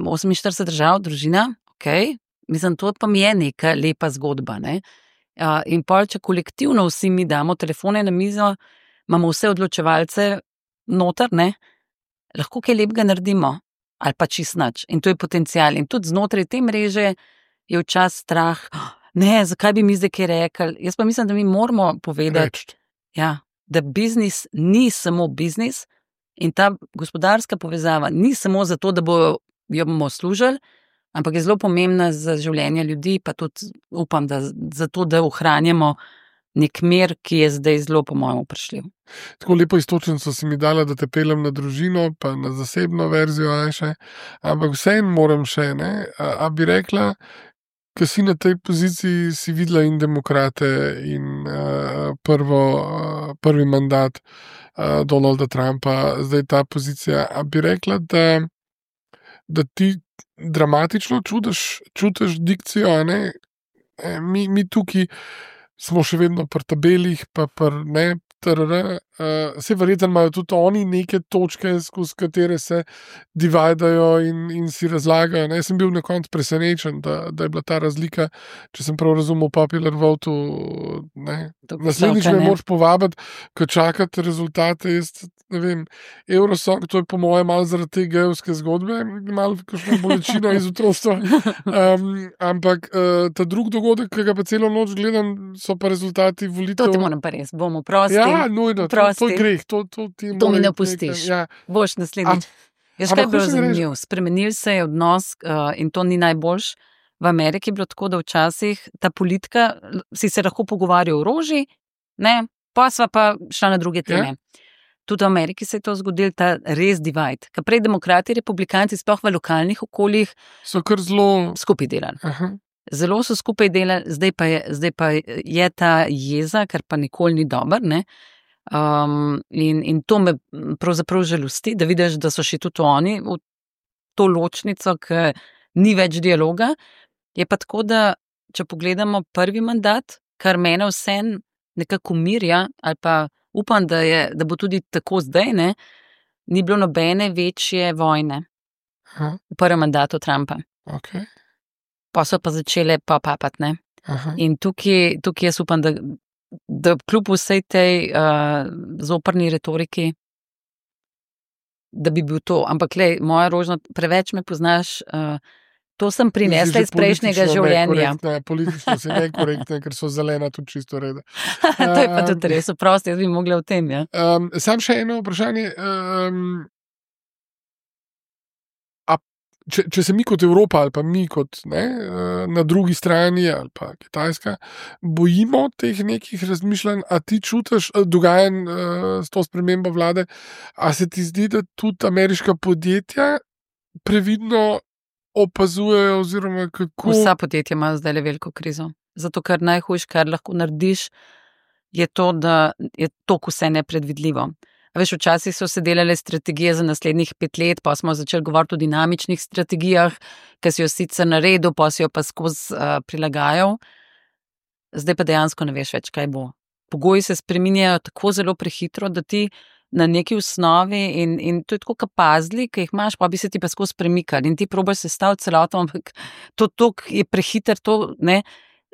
48 držav, družina, ok, Mislim, to pa mi je neka lepa zgodba, ne. In pol, če kolektivno vsi mi damo telefone na mizo, imamo vse odločevalce noter, ne, lahko kaj lepega naredimo, ali pa čist nič. In to je potencial. In tudi znotraj te mreže je včasih strah, ne, zakaj bi mi zdaj kaj rekli. Jaz pa mislim, da mi moramo povedati, da biznis ni samo biznis in ta gospodarska povezava ni samo zato, da jo bomo služili, ampak je zelo pomembna za življenje ljudi, pa tudi upam, da zato, da ohranjamo nek mir, ki je zdaj zelo, po mojem, vprašljiv. Tako lepo istočnico si mi dala, da te peljem na družino, pa na zasebno verzijo, ampak vseeno moram še, ne? A bi rekla, ko si na tej poziciji, si videla in demokrate in prvi mandat Donalda Trumpa, zdaj ta pozicija, a bi rekla, da ti dramatično čutiš dikcijo, ne? Mi tukaj smo še vedno pri tabelih, pa ne, vse verjetno imajo tudi oni neke točke, skozi katere se dividajo in si razlagajo. Jaz sem bil na koncu presenečen, da je bila ta razlika, če sem prav razumel, popular vote, naslednjič me moraš povabiti, ko čakate rezultate, jaz ne vem, Eurosong, to je po mojem malo zaradi te gejevske zgodbe, malo kakšna bolečina iz otroštva, ampak ta drug dogodek, ki ga pa celo noč gledam, so pa rezultati volitev. To ti moram pa res, bomo prosti. Ja, nujno, to je greh. To mi ne pustiš. Boš naslednjič. Jaz kaj bilo zanimiv. Spremenil se je odnos in to ni najboljš. V Ameriki je bilo tako, da včasih ta politika, si se lahko pogovarjal o orožji, pa sva pa šla na druge teme. Tudi v Ameriki se je to zgodil, ta res divide. Ker prej demokrati, republikanci, sploh v lokalnih okoljih, so kar zelo skupaj delali. Zelo so skupaj delali, zdaj pa je ta jeza, kar pa nikoli ni dober, ne. In to me pravzaprav žalosti, da vidiš, da so še tudi oni v to ločnico, ki ni več dialoga. Je pa tako, da če pogledamo prvi mandat, kar mene vsem nekako umirja, ali pa upam, da bo tudi tako zdaj, ne, ni bilo nobene večje vojne v prvem mandatu Trumpa. Okay. Pa so pa začele papati, ne. In tukaj jaz upam, da kljub vsej tej zoprni retoriki, da bi bil to. Ampak glej, moja Rožna, preveč me poznaš, to sem prinesla iz prejšnjega življenja. Politično si nekorektna, ker so zelena tudi čisto reda. To je pa tudi res, oprosti, jaz bi mogla v tem, ja. Sam še eno vprašanje. Če se mi kot Evropa ali pa mi kot na drugi strani ali pa Kitajska bojimo teh nekih razmišljanj, a ti čutiš dogajanj s to spremembo vlade, a se ti zdi, da tudi ameriška podjetja previdno opazujejo oziroma kako? Vsa podjetja imajo zdaj veliko krizo. Zato, ker najhujš, kar lahko narediš, je to, da je toliko vse nepredvidljivo. Veš, včasih so se delale strategije za naslednjih 5 let, pa smo začeli govoriti o dinamičnih strategijah, ki si jo sicer naredil, pa si jo pa skozi prilagajal. Zdaj pa dejansko ne veš več, kaj bo. Pogoji se spreminjajo tako zelo prehitro, da ti na neki osnovi in to je tako kot puzzli, ki jih imaš, pa bi se ti pa skozi premikali in ti probaš sestaviti celoto, ampak to je prehiter, to, ne,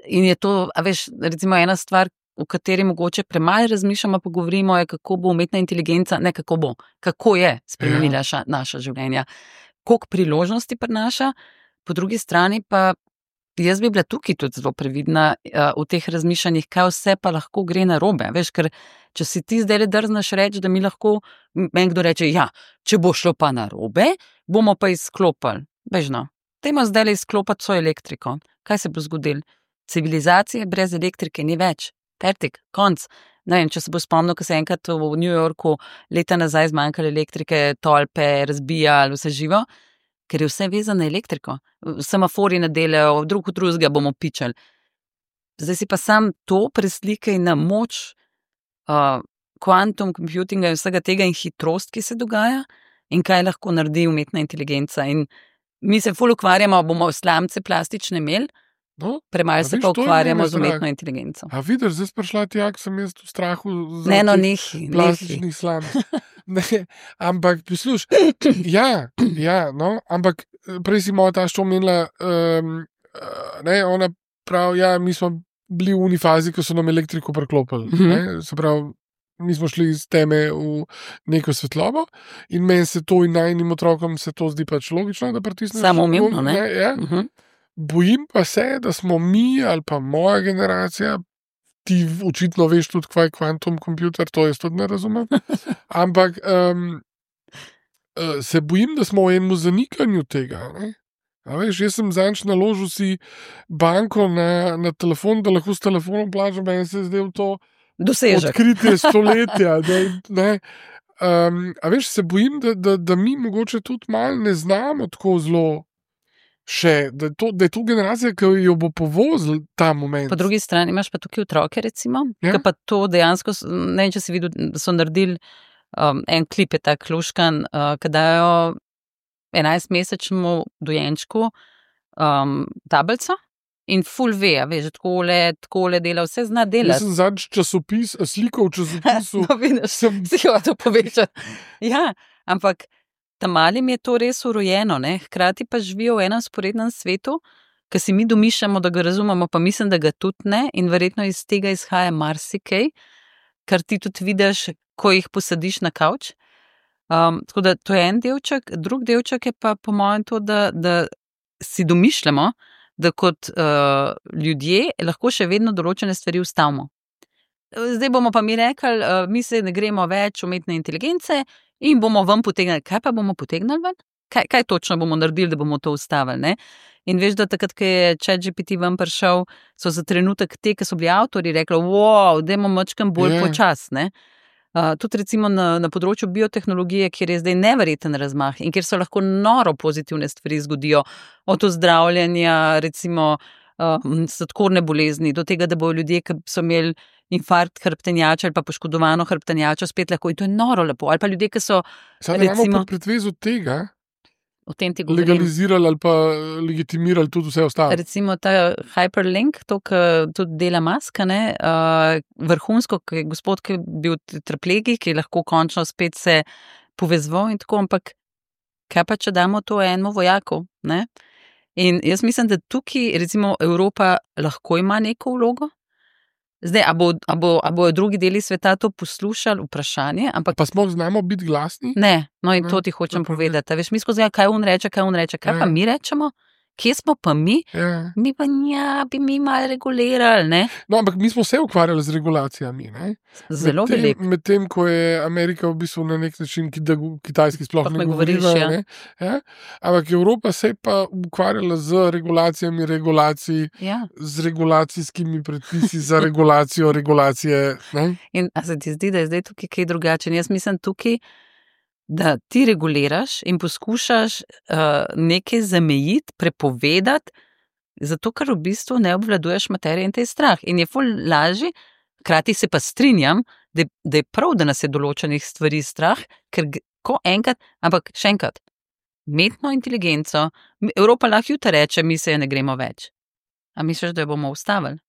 in je to, a veš, recimo ena stvar, o kateri mogoče premalo razmišljamo, pa govorimo, je, kako bo umetna inteligenca, ne kako bo, kako je spremenila naša življenja, koliko priložnosti prinaša, po drugi strani pa jaz bi bila tukaj tudi zelo previdna v teh razmišljanjih, kaj vse pa lahko gre narobe, veš, ker če si ti zdaj drznaš reči, da mi lahko, meni kdo reče, ja, če bo šlo pa narobe, bomo pa izklopili, veš no, dajmo zdaj izklopiti svojo elektriko, kaj se bo zgodilo? Civilizacije brez elektrike ni več. Pertik, konc. Ne vem, če se bo spomnil, ko se enkrat v New Yorku leta nazaj zmanjkali elektrike, tolpe, razbijali, vse živo, ker je vse vezano na elektriko. Semafori ne delajo, drugega bomo pičali. Zdaj si pa sam to preslikaj na moč quantum computinga in vsega tega in hitrost, ki se dogaja in kaj lahko naredi umetna inteligenca. In mi se ful ukvarjamo, bomo slamce plastične imeli, premalo se pa ukvarjamo z umetno inteligenco. A vidiš, zdaj sprašla ti, jak sem jaz v strahu za plastičnih slamc. Ampak, posluš, ja, no, ampak prej si moja tašča omenila ona pravi, ja, mi smo bili v unifazi, ko so nam elektriko preklopili. Se pravi, mi smo šli iz teme v neko svetlobo in meni se to in najnim otrokom se to zdi pač logično, da pritisneš. Samoumevno, ne? Ja. Bojim pa se, da smo mi ali pa moja generacija, ti očitno veš tudi, kaj je kvantum kompjuter, to jaz tudi ne razumem, ampak se bojim, da smo v enem zanikanju tega, ne? A veš, jaz sem zanč naložil si banko na telefon, da lahko s telefonom plačam, meni se je zdel to dosežek. Odkritje stoletja. A veš, se bojim, da mi mogoče tudi malo ne znamo tako zelo še, da je to generacija, ki jo bo povozil ta moment. Po drugi strani imaš pa tukaj otroke, recimo, ki pa to dejansko, ne vem, če si videl, da so naredili en klip je tak luškan, ki dajo 11-mesečnemu dojenčku tablico in ful ve, veš, takole dela, vse zna delati. Jaz sem zadnjič časopis, sliko v časopisu. No, vidiš, si hotel povečati. Ja, ampak tam malim je to res urojeno, ne? Hkrati pa živijo v enem sporednem svetu, ki si mi domišljamo, da ga razumemo, pa mislim, da ga tudi ne, in verjetno iz tega izhaja marsikaj, kar ti tudi vidiš, ko jih posadiš na kavč. Tako da to je en delček, drug delček je pa po mojem to, da si domišljamo, da kot ljudje lahko še vedno določene stvari ustavimo. Zdaj bomo pa mi rekli, mi se ne gremo več umetne inteligence in bomo ven potegnili. Kaj pa bomo potegnili ven? Kaj točno bomo naredili, da bomo to ustavili, ne? In veš, da takrat, ko je ChatGPT ven prišel, so za trenutek te, ki so bili avtorji, rekli, wow, dajmo mačkam bolj počas, ne? Tudi recimo na področju biotehnologije, kjer je zdaj neverjeten razmah in kjer so lahko noro pozitivne stvari zgodijo, od ozdravljanja recimo sladkorne bolezni, do tega, da bojo ljudje, ki so imeli infarkt hrbtenjača ali pa poškodovano hrbtenjačo, spet lahko, in to je noro lepo. Ali pa ljudje, ki so recimo pretvezu tega legalizirali ali pa legitimirali tudi vse ostalo. Recimo ta hyperlink, to, ki tudi dela Musk, vrhunsko, ki je gospod, ki je bil tetraplegik, ki je lahko končno spet se povezval in tako, ampak kaj pa, če damo to enemu vojaku, ne? In jaz mislim, da tukaj recimo Evropa lahko ima neko vlogo. Zdaj, a bojo drugi deli sveta to poslušali, vprašanje, ampak... Pa smo znamo biti glasni? Ne, no in to ti hočem povedati. Veš, mi skozi kaj on reče, kaj pa mi rečemo? Kje smo pa mi? Mi pa bi mi malo regulirali, ne? No, ampak mi smo se ukvarjali z regulacijami, ne? Zelo veliko. Medtem, ko je Amerika v bistvu na nek način, kitajski sploh ne govoriva, ne? Ja? Ampak Evropa se je pa ukvarjala z regulacijami regulacij, z regulacijskimi predpisi za regulacije, ne? In a se ti zdi, da je zdaj tukaj kaj drugače? Jaz mislim tukaj, da ti reguliraš in poskušaš nekaj zamejiti, prepovedati, zato ker v bistvu ne obvladuješ materije in te je strah. In je ful lažje, hkrati se pa strinjam, da je prav, da nas je določenih stvari strah, ker ko enkrat, ampak še enkrat, umetno inteligenco, Evropa lahko jutri reče, mi se je ne gremo več. A misliš, da jo bomo ustavili?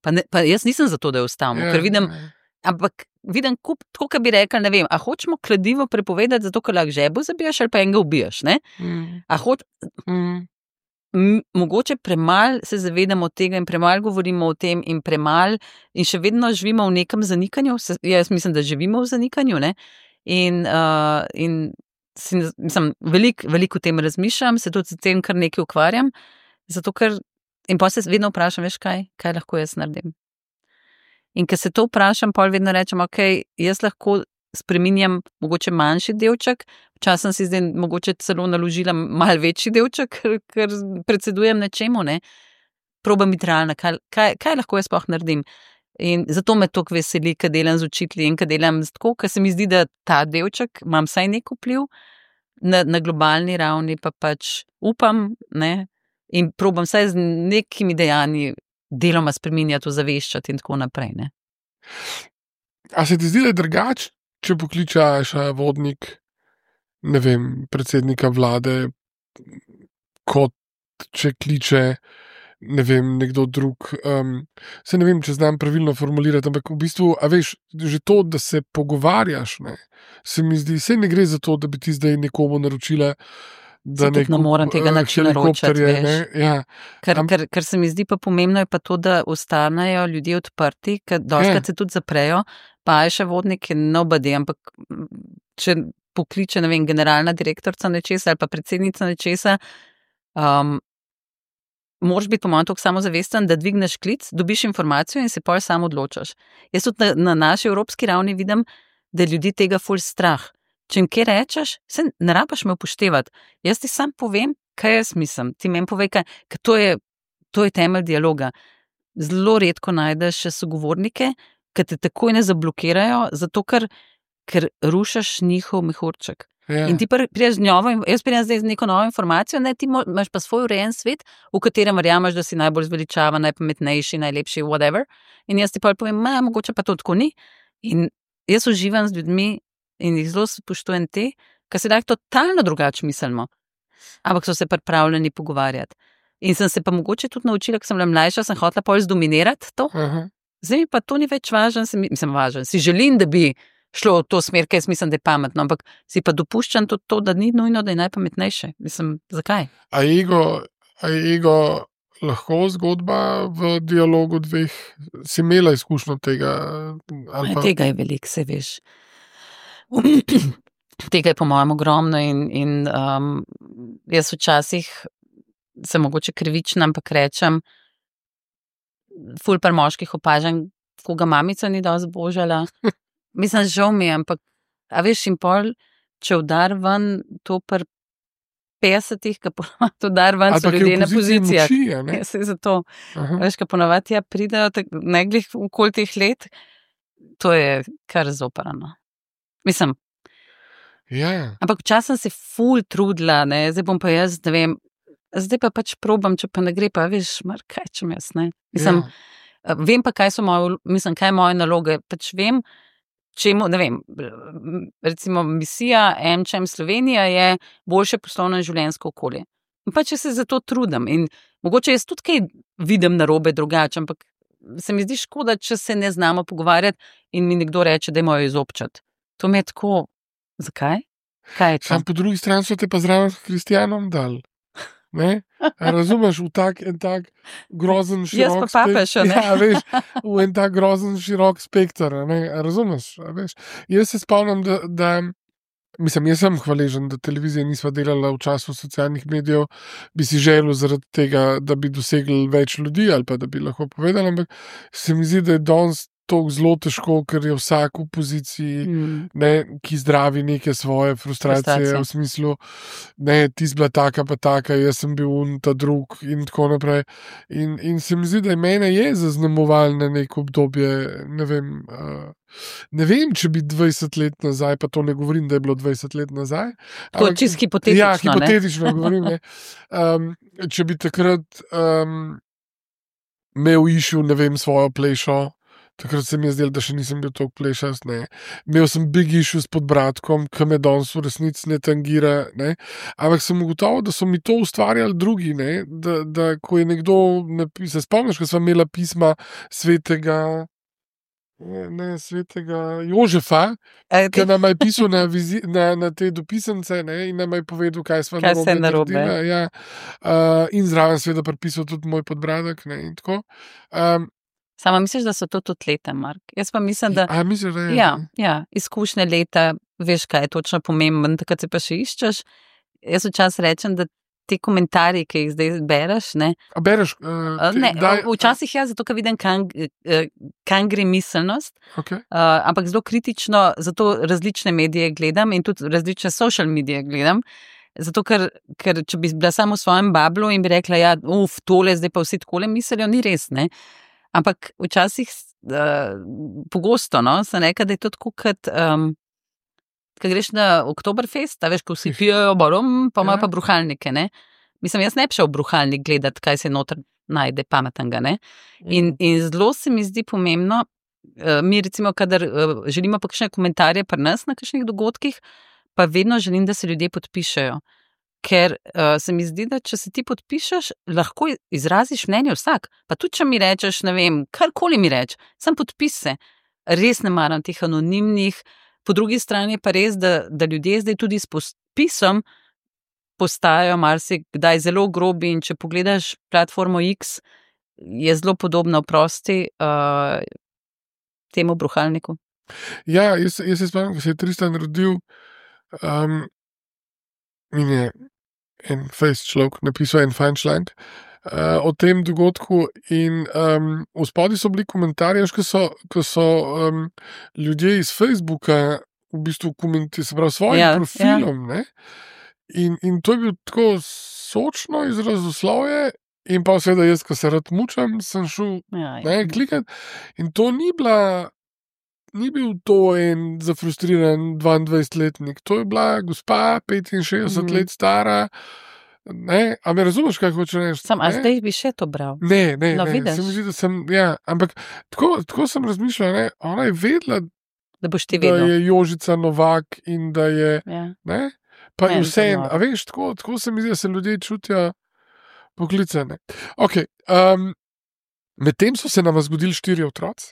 Pa jaz nisem za to, da jo ustavimo, ker vidim, ampak vidim, tako, kot bi rekli, ne vem, a hočemo kladivo prepovedati, zato, ker lahko žebo zabijaš ali pa enega ubijaš, ne? Mogoče premalo se zavedamo tega in premalo govorimo o tem in še vedno živimo v nekem zanikanju, jaz mislim, da živimo v zanikanju, ne? In mislim, veliko o tem razmišljam, se tudi s tem kar nekaj ukvarjam, zato ker, in pa se vedno vprašam, veš kaj lahko jaz naredim. In ko se to vprašam, pol vedno rečem, ok, jaz lahko spreminjam mogoče manjši delček, včasih si zdaj mogoče celo naložila malo večji delček, ker predsedujem nečemu, ne? Probam biti realna, kaj lahko jaz sploh naredim. In zato me toliko veseli, ko delam z učitelji in ko delam tako, ker se mi zdi, da ta delček imam vsaj nek vpliv na globalni ravni, pa pač upam, ne? In probam vsaj z nekimi dejanji deloma spreminjati, ozaveščati in tako naprej, ne. A se ti zdi, da je drugače, če pokličaš vodnik, ne vem, predsednika vlade, kot če kliče, ne vem, nekdo drug, se ne vem, če znam pravilno formulirati, ampak v bistvu, a veš, že to, da se pogovarjaš, ne, se mi zdi, se ne gre za to, da bi ti zdaj nekomu naročila da ne morem tega načina naročati, ja. Kar se mi zdi pa pomembno je pa to, da ostanejo ljudje odprti, ker dostakrat se tudi zaprejo, pa je še vodnik nobody, ampak če pokliče, ne vem, generalna direktorica nečesa ali pa predsednica nečesa, moraš biti po mojem toliko samozavesten, da dvigneš klic, dobiš informacijo in se pol sam odločaš. Jaz tudi na naši evropski ravni vidim, da ljudi tega ful strah. Če jim kaj rečeš, se ne rabaš me upoštevati. Jaz ti sam povem, kaj jaz mislim. Ti meni povej, ker to je temelj dialoga. Zelo redko najdeš še sogovornike, ki te takoj ne zablokirajo, zato ker rušaš njihov mehurček. In ti prideš z novo, jaz pridem zdaj z neko novo informacijo, ne, ti imaš pa svoj urejen svet, v katerem verjameš, da si najbolj zveličavan, najpametnejši, najlepši, whatever. In jaz ti pa povem, mogoče pa to tako ni. In jaz uživam z ljudmi in jih zelo spoštujem te, ker se daj totalno drugače mislimo. Ampak so se pripravljeni pogovarjati. In sem se pa mogoče tudi naučila, ker sem bila mlajša, sem hotela pol zdominirati to. Zdaj mi pa to ni več važen, važen. Si želim, da bi šlo v to smer, ker jaz mislim, da je pametno, ampak si pa dopuščam tudi to, da ni nujno, da je najpametnejše. Zakaj? A je ego lahko zgodba v dialogu dveh? Si imela izkušnjo tega? Tega je veliko, se veš. Tega je po mojem ogromno in jaz včasih sem mogoče krivična, ampak rečem, ful par moških opažam, koga mamica ni dosti božala. Mislim, žal mi je, ampak a veš, in pol, če udar ven to par 50-ih, ka ponovati udar ven so ljudje na pozicijah. Ja, se zato. Veš, ka ponovati pridajo neglih okoli teh let, to je kar zoparano. Mislim. Ja. Ampak včasih sem se ful trudila, ne, zdaj bom pa jaz, ne vem, zdaj pa pač probam, če pa ne gre, pa veš, kaj čem jaz, ne. Mislim, vem pa, kaj je moje naloge, pač vem, čemu, ne vem, recimo misija MČM Slovenija je boljše poslovno in življenjsko okolje. In pač jaz se za to trudim in mogoče jaz tudi kaj vidim narobe drugače, ampak se mi zdi škoda, če se ne znamo pogovarjati in mi nekdo reče, da je mojo izobčati. To mi je tako, zakaj? Kaj je to? Sam po drugi strani so te pa zraven s Kristjanom dal. Ne? Razumeš, v tak grozen širok jaz pa papeš, ne? Ja, veš, v en tak grozen širok spektr, ne? Razumeš, veš. Jaz se spomnim, da mislim, jaz sem hvaležen, da televizija nisva delala v času socialnih medijev, bi si želel zaradi tega, da bi dosegli več ljudi ali pa da bi lahko povedali, ampak se mi zdi, da je danes to zelo težko, ker je vsak v poziciji, ne, ki zdravi neke svoje frustracije v smislu, ne, ti si bila taka pa taka, jaz sem bil ta drug in tako naprej. In se mi zdi, da mene je zaznamoval na neko obdobje, ne vem, če bi 20 let nazaj, pa to ne govorim, da je bilo 20 let nazaj. To je čisto hipotetično, ja, hipotetično govorim, ne. Če bi takrat imel išu, ne vem, svojo plešo, takrat se mi je zdelo, da še nisem bil toliko plešast, ne. Imel sem big issue s podbradkom, ki me danes v resnici ne tangira, ne. Ampak sem ugotovil, da so mi to ustvarjali drugi, ne. Da ko je nekdo napisal, spomniš, ko sva imela pisma svetega Jožefa, ki nam je pisal na te dopisance, ne, in nam je povedal, kaj sva narobe. Ja. In zraven seveda pripisal tudi moj podbradek, ne, in tako. Sama misliš, da so to tudi leta, Mark? Jaz pa mislim, da... Misliš, da je? Ja, izkušnje leta, veš, kaj je točno pomemben, takrat se pa še iščeš. Jaz včasih rečem, da ti komentarji, ki jih zdaj bereš, ne... A bereš? Včasih zato, ker vidim, kam gre miselnost, okay. Ampak zelo kritično, zato različne medije gledam in tudi različne social medije gledam, zato, ker če bi bila samo v svojem bablu in bi rekla, ja, tole, zdaj pa vsi takole mislijo, ni res, ne? Ampak včasih pogosto, no, sem rekla, da je to tako, kot greš na Oktoberfest, a veš, ko vsi pijejo barom, pa imajo pa bruhalnike, ne. Mislim, jaz ne bi šel v bruhalnik gledati, kaj se noter najde pametnega, ne. In zelo se mi zdi pomembno, mi recimo, kadar želimo pa kakšne komentarje pri nas na kakšnih dogodkih, pa vedno želim, da se ljudje podpišejo. Ker se mi zdi, da če se ti podpišeš, lahko izraziš mnenje vsak. Pa tudi, če mi rečeš, ne vem, karkoli mi reč, sem podpis se. Res ne maram teh anonimnih. Po drugi strani je pa res, da ljudje zdaj tudi s podpisom postajajo marsikdaj zelo grobi in če pogledaš platformo X, je zelo podobno prosti temu bruhalniku. Ja, jaz se spomnim, ko se je Tristan rodil, in je en fejst človek napisal en fajn članek o tem dogodku in v spodaj so bili komentarji, ko so ljudje iz Facebooka v bistvu komentirali, se pravi, svojim profilom, ne? In to je bil tako sočno izrazoslovje in pa seveda jaz, ko se rad mučam, sem šel klikati in to ni bil to en zafrustriran 22-letnik, to je bila gospa 65 let stara. Ne, a me razumeš, kaj hoče reči? A zdaj bi še to bral? Ne, se mi zdi, da sem, ampak tako sem razmišljal, ne, ona je vedela, da boš ti vedel, da je Jožica Novak in da je, ne, pa je vse, a veš, tako se mi zdi, da se ljudje čutijo poklicane. Ok, medtem so se nam zgodili 4 otroci.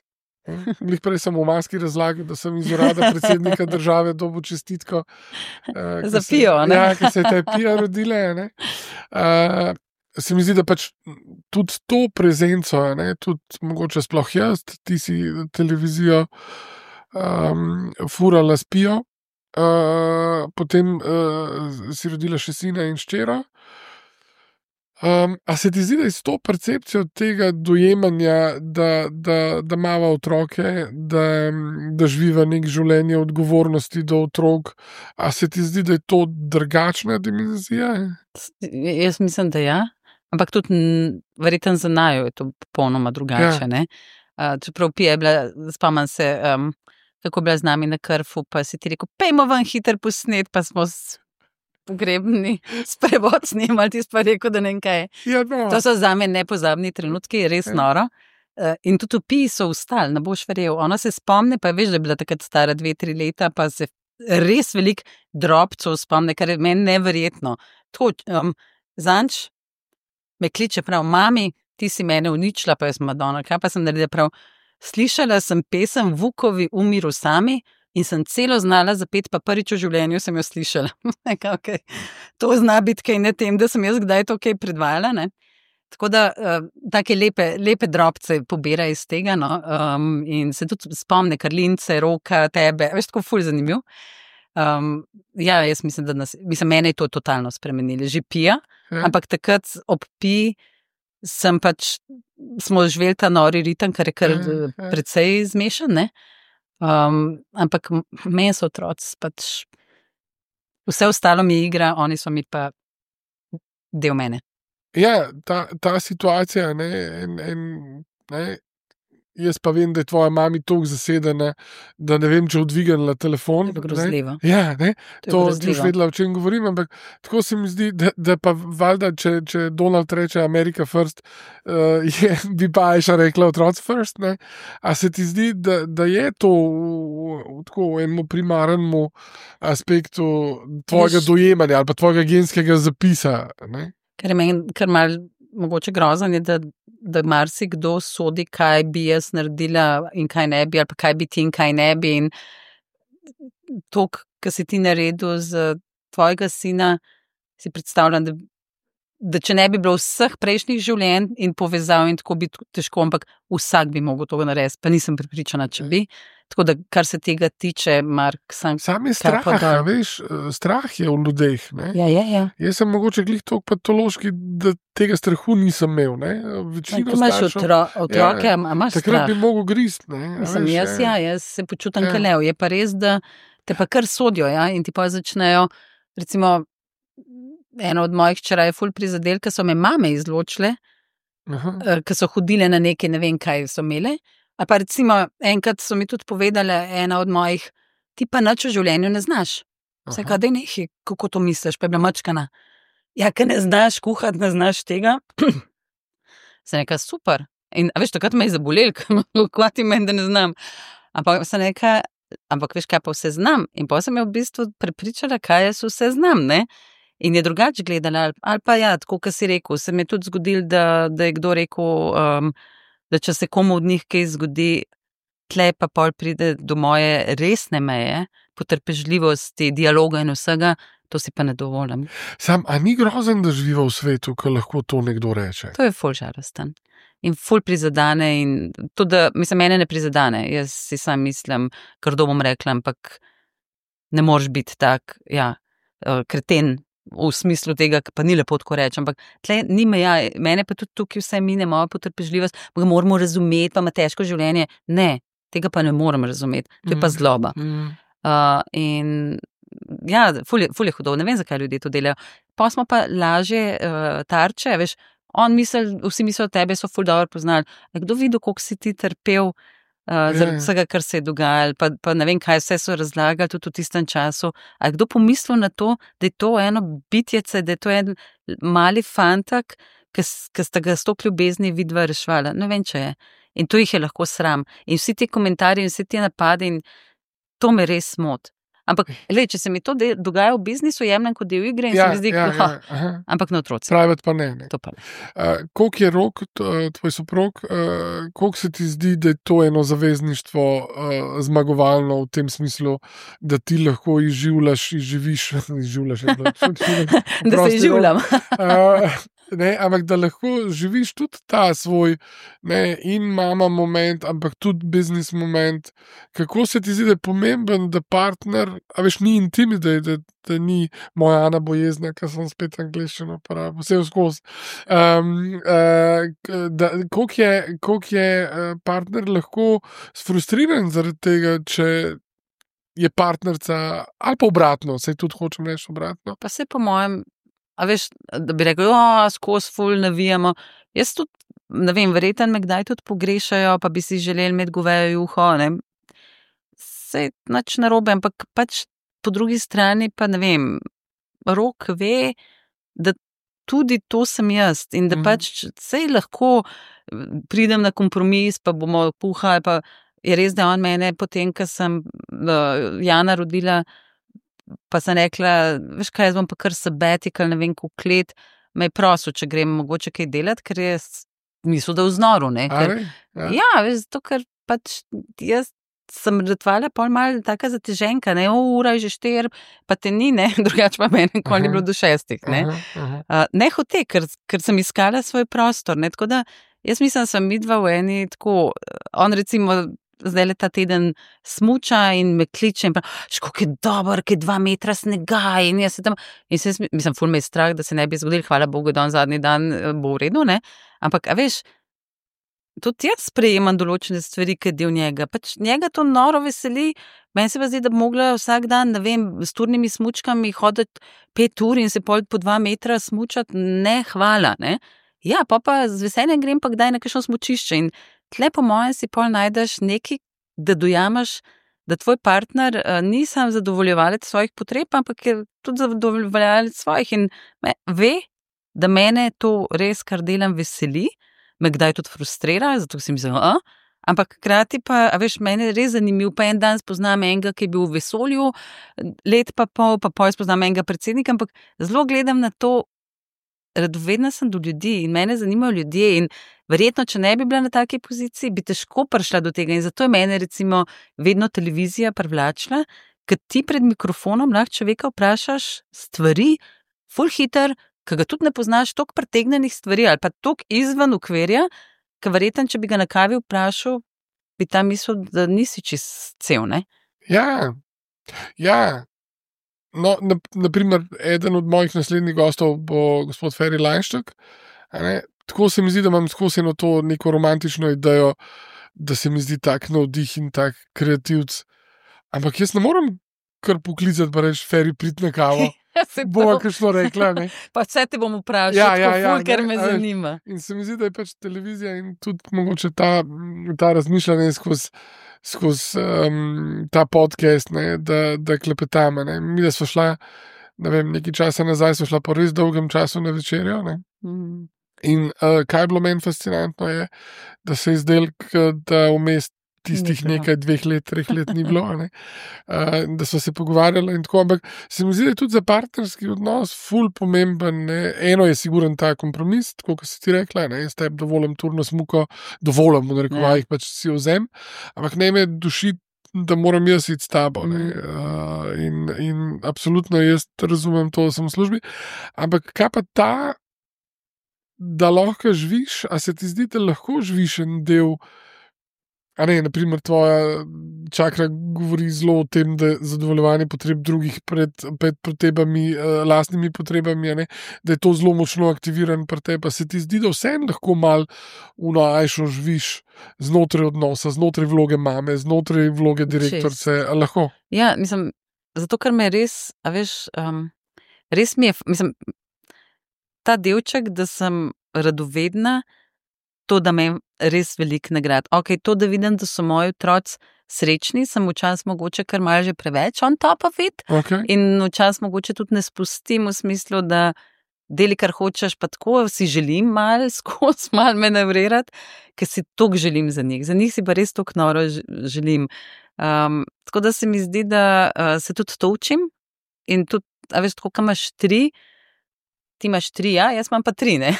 Glih prej sem v maski razlagal, da sem iz urada predsednika države dobil čestitko. Za Pijo, ne? Ja, ker se je ta Pija rodila, ne. Se mi zdi, da pač tudi to prezenco, ne, tudi mogoče sploh jaz, ti si televizijo furala s Pijo, potem si rodila še sina in hčera. A se ti zdi, da je s to percepcijo tega dojemanja, da imava otroke, da živiva nek življenje odgovornosti do otrok, a se ti zdi, da je to drugačna dimenzija? Jaz mislim, da ja, ampak tudi verjetno za naju je to popolnoma drugače, ne? Čeprav Pija je bila, spomnim se, kako je bila z nami na Krfu, pa si ti rekel, pejmo ven hiter posnet, pa smo pogrebni sprevod snimali, ti pa rekel, da ne vem kaj. Ja, no. To so za me nepozabni trenutki, res noro. In tudi v Piji so vstali, ne boš verjel. Ona se spomne, pa veš, da je bila takrat stara 2-3 leta, pa se res veliko drobcev spomne, kar je meni neverjetno. Zanč me kliče prav, mami, ti si mene uničila, pa jaz Madonna, kaj pa sem naredila prav. Slišala sem pesem Vukovi Umiru sami, in sem celo znala zapeti, pa prvič v življenju sem jo slišala. Okay. To zna biti kaj ne tem, da sem jaz kdaj to kaj predvajala, ne? Tako da take lepe drobce pobira iz tega, no? In se tudi spomne Karlince, Roka, tebe, veš, tako ful zanimiv. Ja, jaz mislim, da mene je to totalno spremenili, že Pija, ampak takrat ob Piji smo živeli ta nori ritem, kar je kar precej zmešan, ne? Ampak meni so otroci pač vse ostalo mi igra, oni so mi pa del mene. Ja, ta situacija, ne, jaz pa vem, da je tvoja mami toliko zasedena, da ne vem, če odvignila telefon. To je grozljivo. Ja, ne, to ti už vedela, o čem govorim, ampak tako se mi zdi, da pa valjda, če Donald reče America first, bi pa Ajša rekla otroci first, ne. A se ti zdi, da je to tako v enemu primarnemu aspektu tvojega dojemanja ali pa tvojega genskega zapisa, ne? Kar je meni kar malo mogoče grozan je, da marsikdo sodi, kaj bi jaz naredila in kaj ne bi, ali pa kaj bi ti in kaj ne bi. In to, kar si ti naredil z tvojega sina, si predstavljam, da če ne bi bilo vseh prejšnjih življenj in povezav in tako bi težko, ampak vsak bi mogel to narediti, pa nisem prepričana, če bi. Tako da, kar se tega tiče, Mark, sam je strah, veš, strah je v ljudeh, ne? Ja. Jaz sem mogoče glih toliko patološki, da tega strahu nisem imel, ne? Večino imaš otroke, imaš strah. Takrat bi mogel grist, ne? Jaz se počutam kalev. Je pa res, da te pa kar sodijo, ja? In ti pa začnejo, recimo, eno od mojih hčera je ful prizadel, ker so me mame izločile, ker so hodile na neke, ne vem kaj so imele. A pa recimo, enkrat so mi tudi povedale, ena od mojih, ti pa nič v življenju ne znaš. Vse kaj, daj nehi, kako to misliš, pa je bila mačkana. Ja, ker ne znaš kuhati, ne znaš tega. Sem rekla, super. In veš, takrat me je zabolel, kaj ti meni, da ne znam. Ampak sem rekla, ampak veš, kaj pa vse znam. In pa sem jo v bistvu prepričala, kaj jaz vse znam, ne. In je drugače gledala, ali pa ja, tako, kot si rekel, se mi je tudi zgodil, da je kdo rekel, da če se komu od njih kaj zgodi, tle pa pol pride do moje resne meje, potrpežljivosti, dialoga in vsega, To si pa ne dovolim. A ni grozen, da živiva v svetu, ko lahko to nekdo reče? To je ful žalosten. In ful prizadene in to, da, mislim, mene ne prizadene. Jaz si sam mislim, kar bom rekla, ampak ne moreš biti tak, kreten v smislu tega, pa ni lepo tako reči, ampak tle ni meja, mene pa tudi tukaj vse mine, moja potrpežljivost, pa ga moramo razumeti, pa ima težko življenje. Ne, tega pa ne morem razumeti, to je pa zloba. In ful je hudo, ne vem, zakaj ljudje to delajo. Pa smo pa lažje tarče, veš, vsi mislijo o tebe, so ful dobro poznali. Kdo videl, koliko si ti trpel zaradi vsega, kar se je dogajalo, pa ne vem, kaj vse so razlagali tudi v tistem času. A kdo pomislil na to, da je to eno bitjece, da je to en mali fantak, ki sta ga s to ljubezni vidva rešvala? Ne vem, če je. In to jih je lahko sram. In vsi ti komentarji in vsi ti napadi, in to me res moti. Ampak, če se mi to dogaja v biznisu, jemljem kot del igre in se mi zdi, ampak na otroci. Private pa ne. To pa ne. Koliko je Rok, tvoj soprog, koliko se ti zdi, da je to eno zavezništvo zmagovalno v tem smislu, da ti lahko izživiš, da se izživljam. Ampak da lahko živiš tudi ta svoj in mama moment, ampak tudi biznis moment. Kako se ti zdi, da je pomemben, da partner, a veš, ni intimni, da ni moja Ana bojezna, ker sem spet angliščino uporabil, vse skozi. Koliko je partner lahko sfrustriran zaradi tega, če je partnerca, ali pa obratno, saj tudi hočem reči obratno. Pa se po mojem, a veš, da bi rekel, skozi ful navijamo. Jaz tudi, ne vem, verjetno me kdaj tudi pogrešajo, pa bi si želeli imeti govejo juho, ne. Sej nič narobe, ampak pač po drugi strani pa ne vem, Rok ve, da tudi to sem jaz in da pač sej lahko pridem na kompromis, pa bomo puhali, pa je res, da on mene potem, ko sem Jana rodila, pa sem rekla, veš kaj, jaz bom pa kar sabbatical, ne vem, koliko let, me je prosil, če grem mogoče kaj delati, ker je mislil, da v znoru, ne. Veš, zato, ker pač jaz sem ratvala pol malo taka zateženka, ne, ura je že 4, pa te ni, ne, drugače pa meni nikoli ni bilo do 6, ne. Ne hote, ker sem iskala svoj prostor, ne, tako da jaz mislim, da sem midva v eni tako, on recimo zdaj ta teden smuča in me kliče in pravi, kako je dober, kaj 2 metra snega in jaz se tam, in se mislim, ful me je strah, da se ne bi zgodil, hvala Bogu, da on zadnji dan bo v redu, ne, ampak, a veš, tudi jaz sprejemam določene stvari, ki del njega, pač njega to noro veseli, meni se pa zdi, da bi mogla vsak dan, ne vem, s turnimi smučkami hoditi 5 ur in se pol po 2 metra smučati, ne, hvala, ne. Ja, pa z veseljem grem pa kdaj na kakšno smučišče in tle po mojem si pol najdeš nekaj, da dojamaš, da tvoj partner ni sam zadovoljevalec svojih potreb, ampak je tudi zadovoljevalec svojih in ve, da mene to res, kar delam, veseli, me kdaj tudi frustrira, zato si mislim, ampak hkrati pa, a veš, meni je res zanimiv, pa en dan spoznam enega, ki je bil v vesolju, let pa pol spoznam enega predsednika, ampak zelo gledam na to, radovedna sem do ljudi in mene zanimajo ljudje in verjetno, če ne bi bila na taki poziciji, bi težko prišla do tega in zato je mene recimo vedno televizija privlačila, ker ti pred mikrofonom lahko človeka vprašaš stvari, ful hiter, ki ga tudi ne poznaš, toliko pretegnenih stvari ali pa toliko izven okvirja, ker verjetno, če bi ga na kavi vprašal, bi tam mislil, da nisi čist cel, ne? Ja. No, naprimer, eden od mojih naslednjih gostov bo gospod Feri Lajnštek. Tako se mi zdi, da imam skozi eno to neko romantično idejo, da se mi zdi tak navdih in tak kreativc. Ampak jaz ne morem kar poklicati, pa reči, Feri, prid na kavo. Bova kakšno rekla, ne. Pa vse te bom vprašal, ker me zanima. In se mi zdi, da je pač televizija in tudi mogoče ta razmišljanje skozi ta podcast, ne, da klepetame. Ne. Mi, da smo šla, ne vem, nekaj časa nazaj, smo šla po res dolgem času na večerjo. Ne. In kaj je bilo meni fascinantno je, da se je zdelo, da vmes tistih nekaj 2 let, 3 let ni bilo, ne. Da so se pogovarjali in tako, ampak se mi zdi, da je tudi za partnerski odnos ful pomemben, ne. Eno je siguren ta kompromis, tako kot si ti rekla, ne, jaz tebi dovolim turno smuko, dovolim, v narekovajih pač si vzem, ampak ne me duši, da moram jaz iti s tabo, ne. in absolutno jaz razumem to, da sem v službi. Ampak kaj pa ta, da lahko živiš, a se ti zdi, da lahko živiš en del, a ne, naprimer tvoja čakra govori zelo o tem, da je zadovoljevanje potreb drugih pred potrebami, lastnimi potrebami, ne, da je to zelo močno aktiviran pri tebi, pa se ti zdi, da vseeno lahko malo ajšo živiš znotraj odnosa, znotraj vloge mame, znotraj vloge direktorice, lahko? Ja, mislim, zato, ker me res, a veš, res mi je, mislim, ta delček, da sem radovedna, to, da me res veliko nagrad. Ok, to, da vidim, da so moji otroci srečni, sem včasih mogoče kar malo že preveč on top of it. Okay. In včasih mogoče tudi ne spustim v smislu, da deli, kar hočeš, pa tako si želim malo skozi, malo manevrirati, ker si toliko želim za njih. Za njih si pa res toliko noro želim. Tako da se mi zdi, da se tudi to učim in tudi, a veš, tako, kam imaš 3, ti imaš 3, ja, jaz imam pa 3, ne.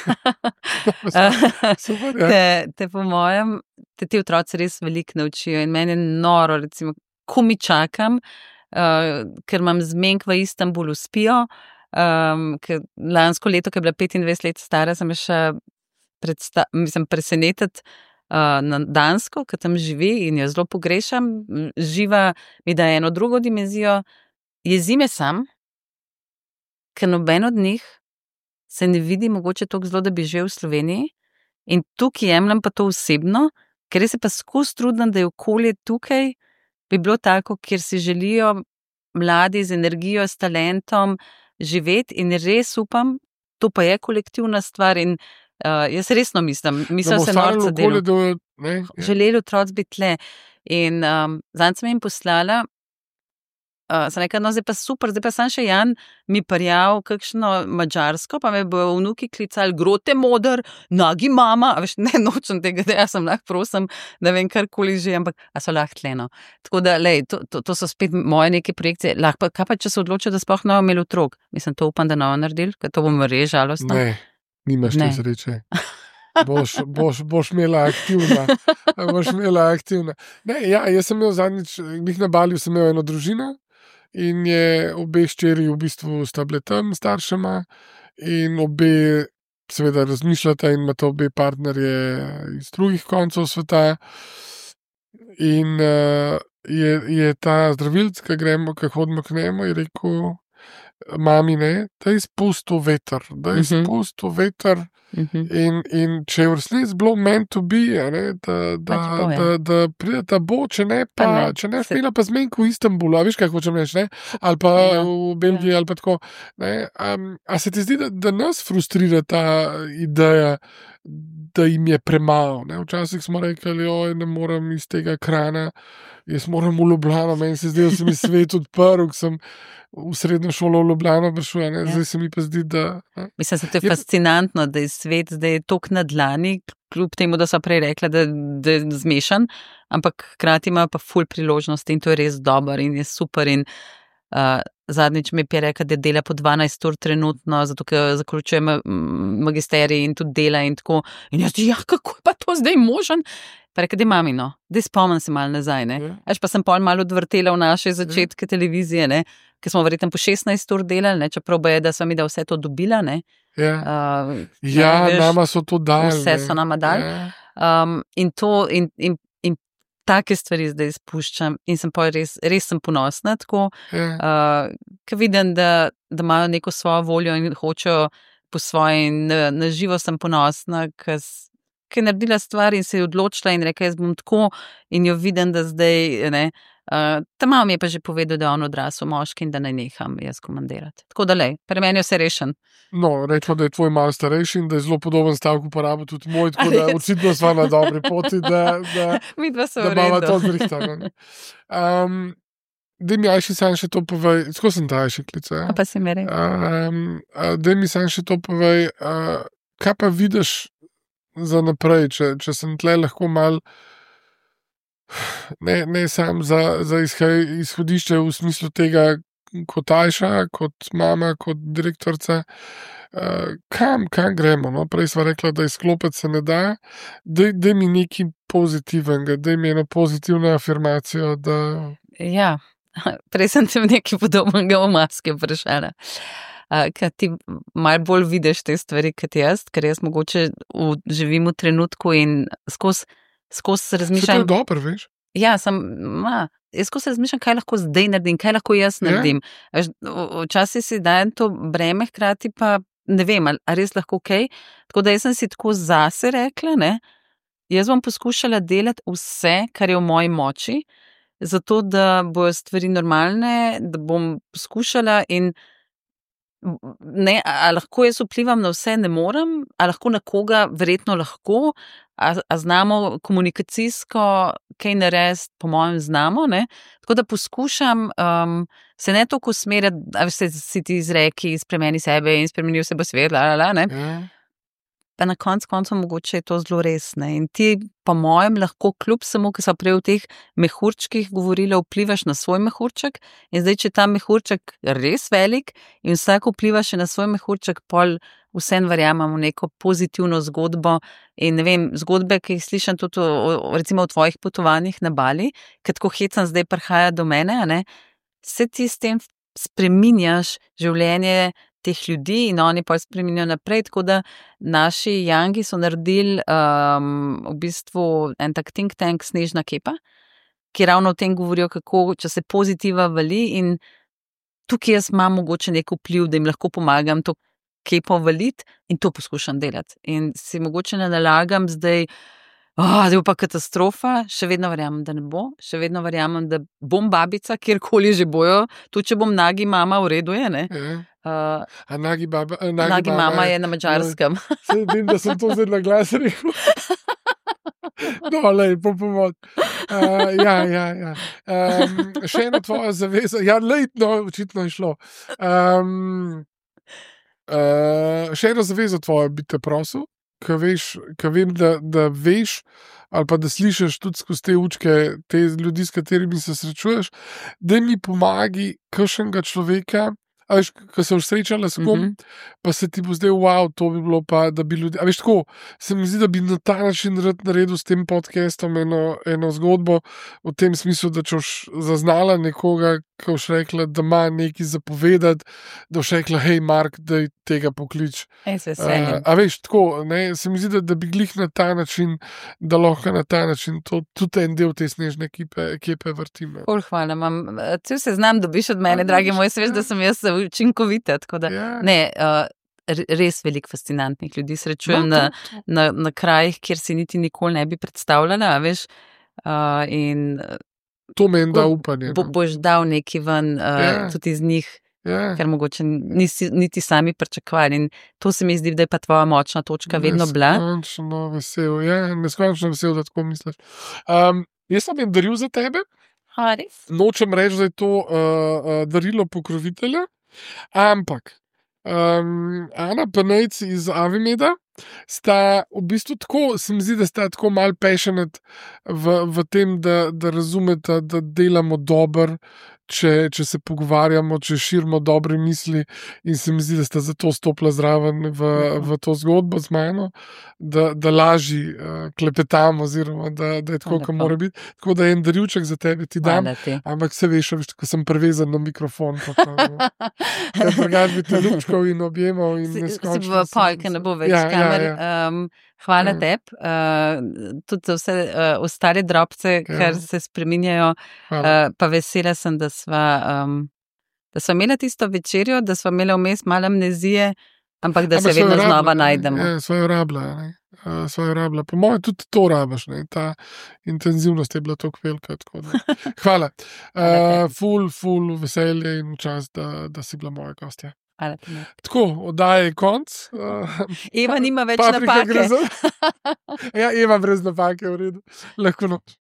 Super, ja. Te po mojem, ti otroci res veliko naučijo in meni je noro, recimo, ko mi čakam, ker imam zmenk v Istanbulu spijo, ker lansko leto, ko je bila 25 let stara, sem še presenetiti na Dansko, ker tam živi in jo zelo pogrešam, živa mi da eno drugo dimenzijo, jezi me sam, ker noben od njih se ne vidi mogoče toliko zelo, da bi živel v Sloveniji in tukaj jemljem pa to osebno, ker se pa skozi trudim, da je okolje tukaj bi bilo tako, kjer si želijo mladi z energijo, s talentom živeti in res upam, to pa je kolektivna stvar in jaz resno mislim se norca delo. Želeli otroci biti tle in zanj sem jim poslala, sem rekla, no zdaj pa super, zdaj pa sam še Jan mi parjal kakšno madžarsko, pa me bo vnuki klicali grote moder, nagi mama, a veš, ne nočem tega, da jaz sem lahko prosim, da vem karkoli že, ampak a so lahko tleno. Tako da, lej, to so spet moje neke projekcije, lahko, kaj pa, če se odločijo, da sploh ne bomo imeli otrok? Mislim, to upam, da ne bomo naredili, ker to bomo res žalostno. Ne, nimaš te sreče. Boš imela aktivna. Ne, ja, jaz sem imel zadnjič, na Baliju sem imel eno družino, in je obe hčeri v bistvu sta bile tam staršema in obe seveda razmišljata in imata obe partnerje iz drugih koncev sveta in je ta zdravilc, ki hodimo k njemu, je rekel mami, ne, da je spustil veter, in če je v resnici bilo meant to be, ne, da pride ta bo, če ne smela pa zmenka v Istanbulu, a veš, kaj hočem reči, ne, ali pa v Belgiji, ali pa tako, ne, a se ti zdi, da nas frustrira ta ideja, da jim je premalo, ne, včasih smo rekli, oj, ne morem iz tega ekrana, jaz moram v Ljubljano, meni se zdi, da se mi svet odprl, ko sem v srednjo šolo v Ljubljano prišel, ne, zdaj se mi pa zdi, da... Mislim, da to je fascinantno, da je svet zdaj toliko na dlani, kljub temu, da so prej rekla, da je zmešan, ampak hkrati ima pa ful priložnosti in to je res dober in je super in zadnjič mi je rekla, da dela po 12 ur trenutno, zato ker zaključuje magisterij in tudi dela in tako. In jaz, ja, kako je pa to zdaj možen? Pa rekla, da mami, no, da spomnim se malo nazaj, ne. Až pa sem pol malo odvrtela v naše začetke televizije, ne, ker smo verjetno po 16 ur delali, ne, čeprav je, da sem mi da vse to dobila, ne. Nama so to dali. Vse so nama dali. In to, in take stvari zdaj spuščam in sem pa res sem ponosna tako, ker vidim, da imajo neko svojo voljo in hočejo po svoje in na živo sem ponosna, ker je naredila stvar in se je odločila in rekla, jaz bom tako in jo vidim, da zdaj, ne, ta mama mi je pa že povedal, da je on odrasel moški in da ne neham jaz komandirati. Tako da lej, pri meni je vse rešen. No, rečemo, da je tvoj malo starejši in da je zelo podoben stavek uporabil tudi moj, tako da očitno sva na dobri poti, da imamo to zrihtano. Daj mi Ajši sam še to povej, tako sem ta Ajši klica. Pa si mi rekel. Daj mi sam še to povej, kaj pa vidiš za naprej, če sem tle lahko mal ne sam za izhodišče v smislu tega kot Ajša, kot mama, kot direktorica, kam gremo, no? Prej sva rekla, da izklopiti se ne da, daj mi nekaj pozitivnega, daj mi eno pozitivno afirmacijo, da... Ja, Prej sem te nekaj podobnega v maske vprašala. Ker ti malo bolj vidiš te stvari kot jaz, ker jaz mogoče živim v trenutku in skozi razmišljam. To je dobro, veš? Ja, jaz skozi razmišljam, kaj lahko zdaj naredim, kaj lahko jaz naredim. Včasih si dajem to breme, hkrati pa ne vem, ali res lahko kaj. Tako da jaz sem si tako zase rekla, ne, jaz bom poskušala delati vse, kar je v moji moči, zato da bojo stvari normalne, da bom poskušala in ne, a lahko jaz vplivam na vse, ne morem, a lahko na koga, verjetno lahko, a znamo komunikacijsko kaj narediti, po mojem znamo, ne, tako da poskušam se ne toliko usmerjati, a si ti izreki, spremeni sebe in spremeni vse bo svet, ne. Pa na koncu mogoče je to zelo res, ne, in ti po mojem lahko kljub samo, ki so prej v teh mehurčkih govorila, vplivaš na svoj mehurček in zdaj, če je ta mehurček res velik in vsak vpliva še na svoj mehurček, pol vsem verjamem v neko pozitivno zgodbo in ne vem, zgodbe, ki jih slišam tudi recimo v tvojih potovanjih na Bali, ker tako hecam zdaj prihaja do mene, ne, se ti s tem spreminjaš življenje teh ljudi in oni pa spreminjajo naprej, tako da naši Yangi so naredili v bistvu en tak think tank Snežna kepa, ki ravno o tem govorijo, kako, če se pozitiva vali in tukaj jaz imam mogoče nek vpliv, da jim lahko pomagam to kepo valiti in to poskušam delati. In si mogoče ne nalagam zdaj bo pa katastrofa, še vedno verjamem, da ne bo, še vedno verjamem, da bom babica, kjerkoli že bojo, tudi če bom nagi mama, v redu je, ne? Nagi mama je na Madžarskem. Vem, da sem to zdaj na glas rekel. No, lej, po pomoč. Ja. Še ena tvoja zaveza. Ja, lej, no, očitno je šlo. Še eno zavezo tvojo bi te prosil, ko vem, da veš ali pa da slišiš tudi skozi te učke, te ljudi, s katerimi se srečuješ, da mi pomagi kakšnega človeka, ko se boš srečala s kom, pa se ti bo zdaj, wow, to bi bilo pa, da bi ljudi, a veš tako, se mi zdi, da bi na ta način rad naredil s tem podcastom eno zgodbo, v tem smislu, da če boš zaznala nekoga, ko boš rekla, da ima nekaj zapovedati, da boš rekla, hej, Mark, daj tega poklič. A veš, tako, ne, se mi zdi, da bi glih na ta način, da lahko na ta način to, tudi en del te Snežne kepe vrtim. Hvala, cel seznam dobiš od mene, dragi moj, se veš, da sem jaz učinkovita, tako da, ne, res veliko fascinantnih ljudi srečujem na krajih, kjer si niti nikoli ne bi predstavljala, veš, in to meni da upanje. Boš dal nekaj ven, tudi iz njih, ker mogoče niti sami pričakovali in to se mi zdi, da je pa tvoja močna točka vedno bila. Neskončno vesel, da tako misliš. Jaz sem jim daril za tebe. Res? Nočem reči, da je to darilo pokrovitelja, ampak Ana Panejc iz Avimeda sta v bistvu tako, se mi zdi, da sta tako malo passionate v tem, da razumeta, da delamo dobro, če se pogovarjamo, če širimo dobre misli in se mi zdi, da sta zato stopila zraven v to zgodbo z mano, da lažje klepetamo oziroma da je tako, kot mora biti. Tako da je en darilček za tebe, ti dam, ampak se veš, ko sem prevezan na mikrofon, ker drugače bi te ljubčkov in objemal in neskončno. Si v polke, ne bo več kamer. Hvala tebi, tudi za vse ostale drobce, kar se spreminjajo, pa vesela sem, da sva imela tisto večerjo, da sva imela vmes malo amnezije, ampak da se vedno znova najdemo. Sva jo rabila. Po mojem tudi to rabiš, ne? Ta intenzivnost je bila toliko velika. Hvala. Ful veselje in čas, da si bila moja gostja. Tako, oddaja je konc. Eva nima več napake. Ja, Eva brez napake, v redu. Lahko noč.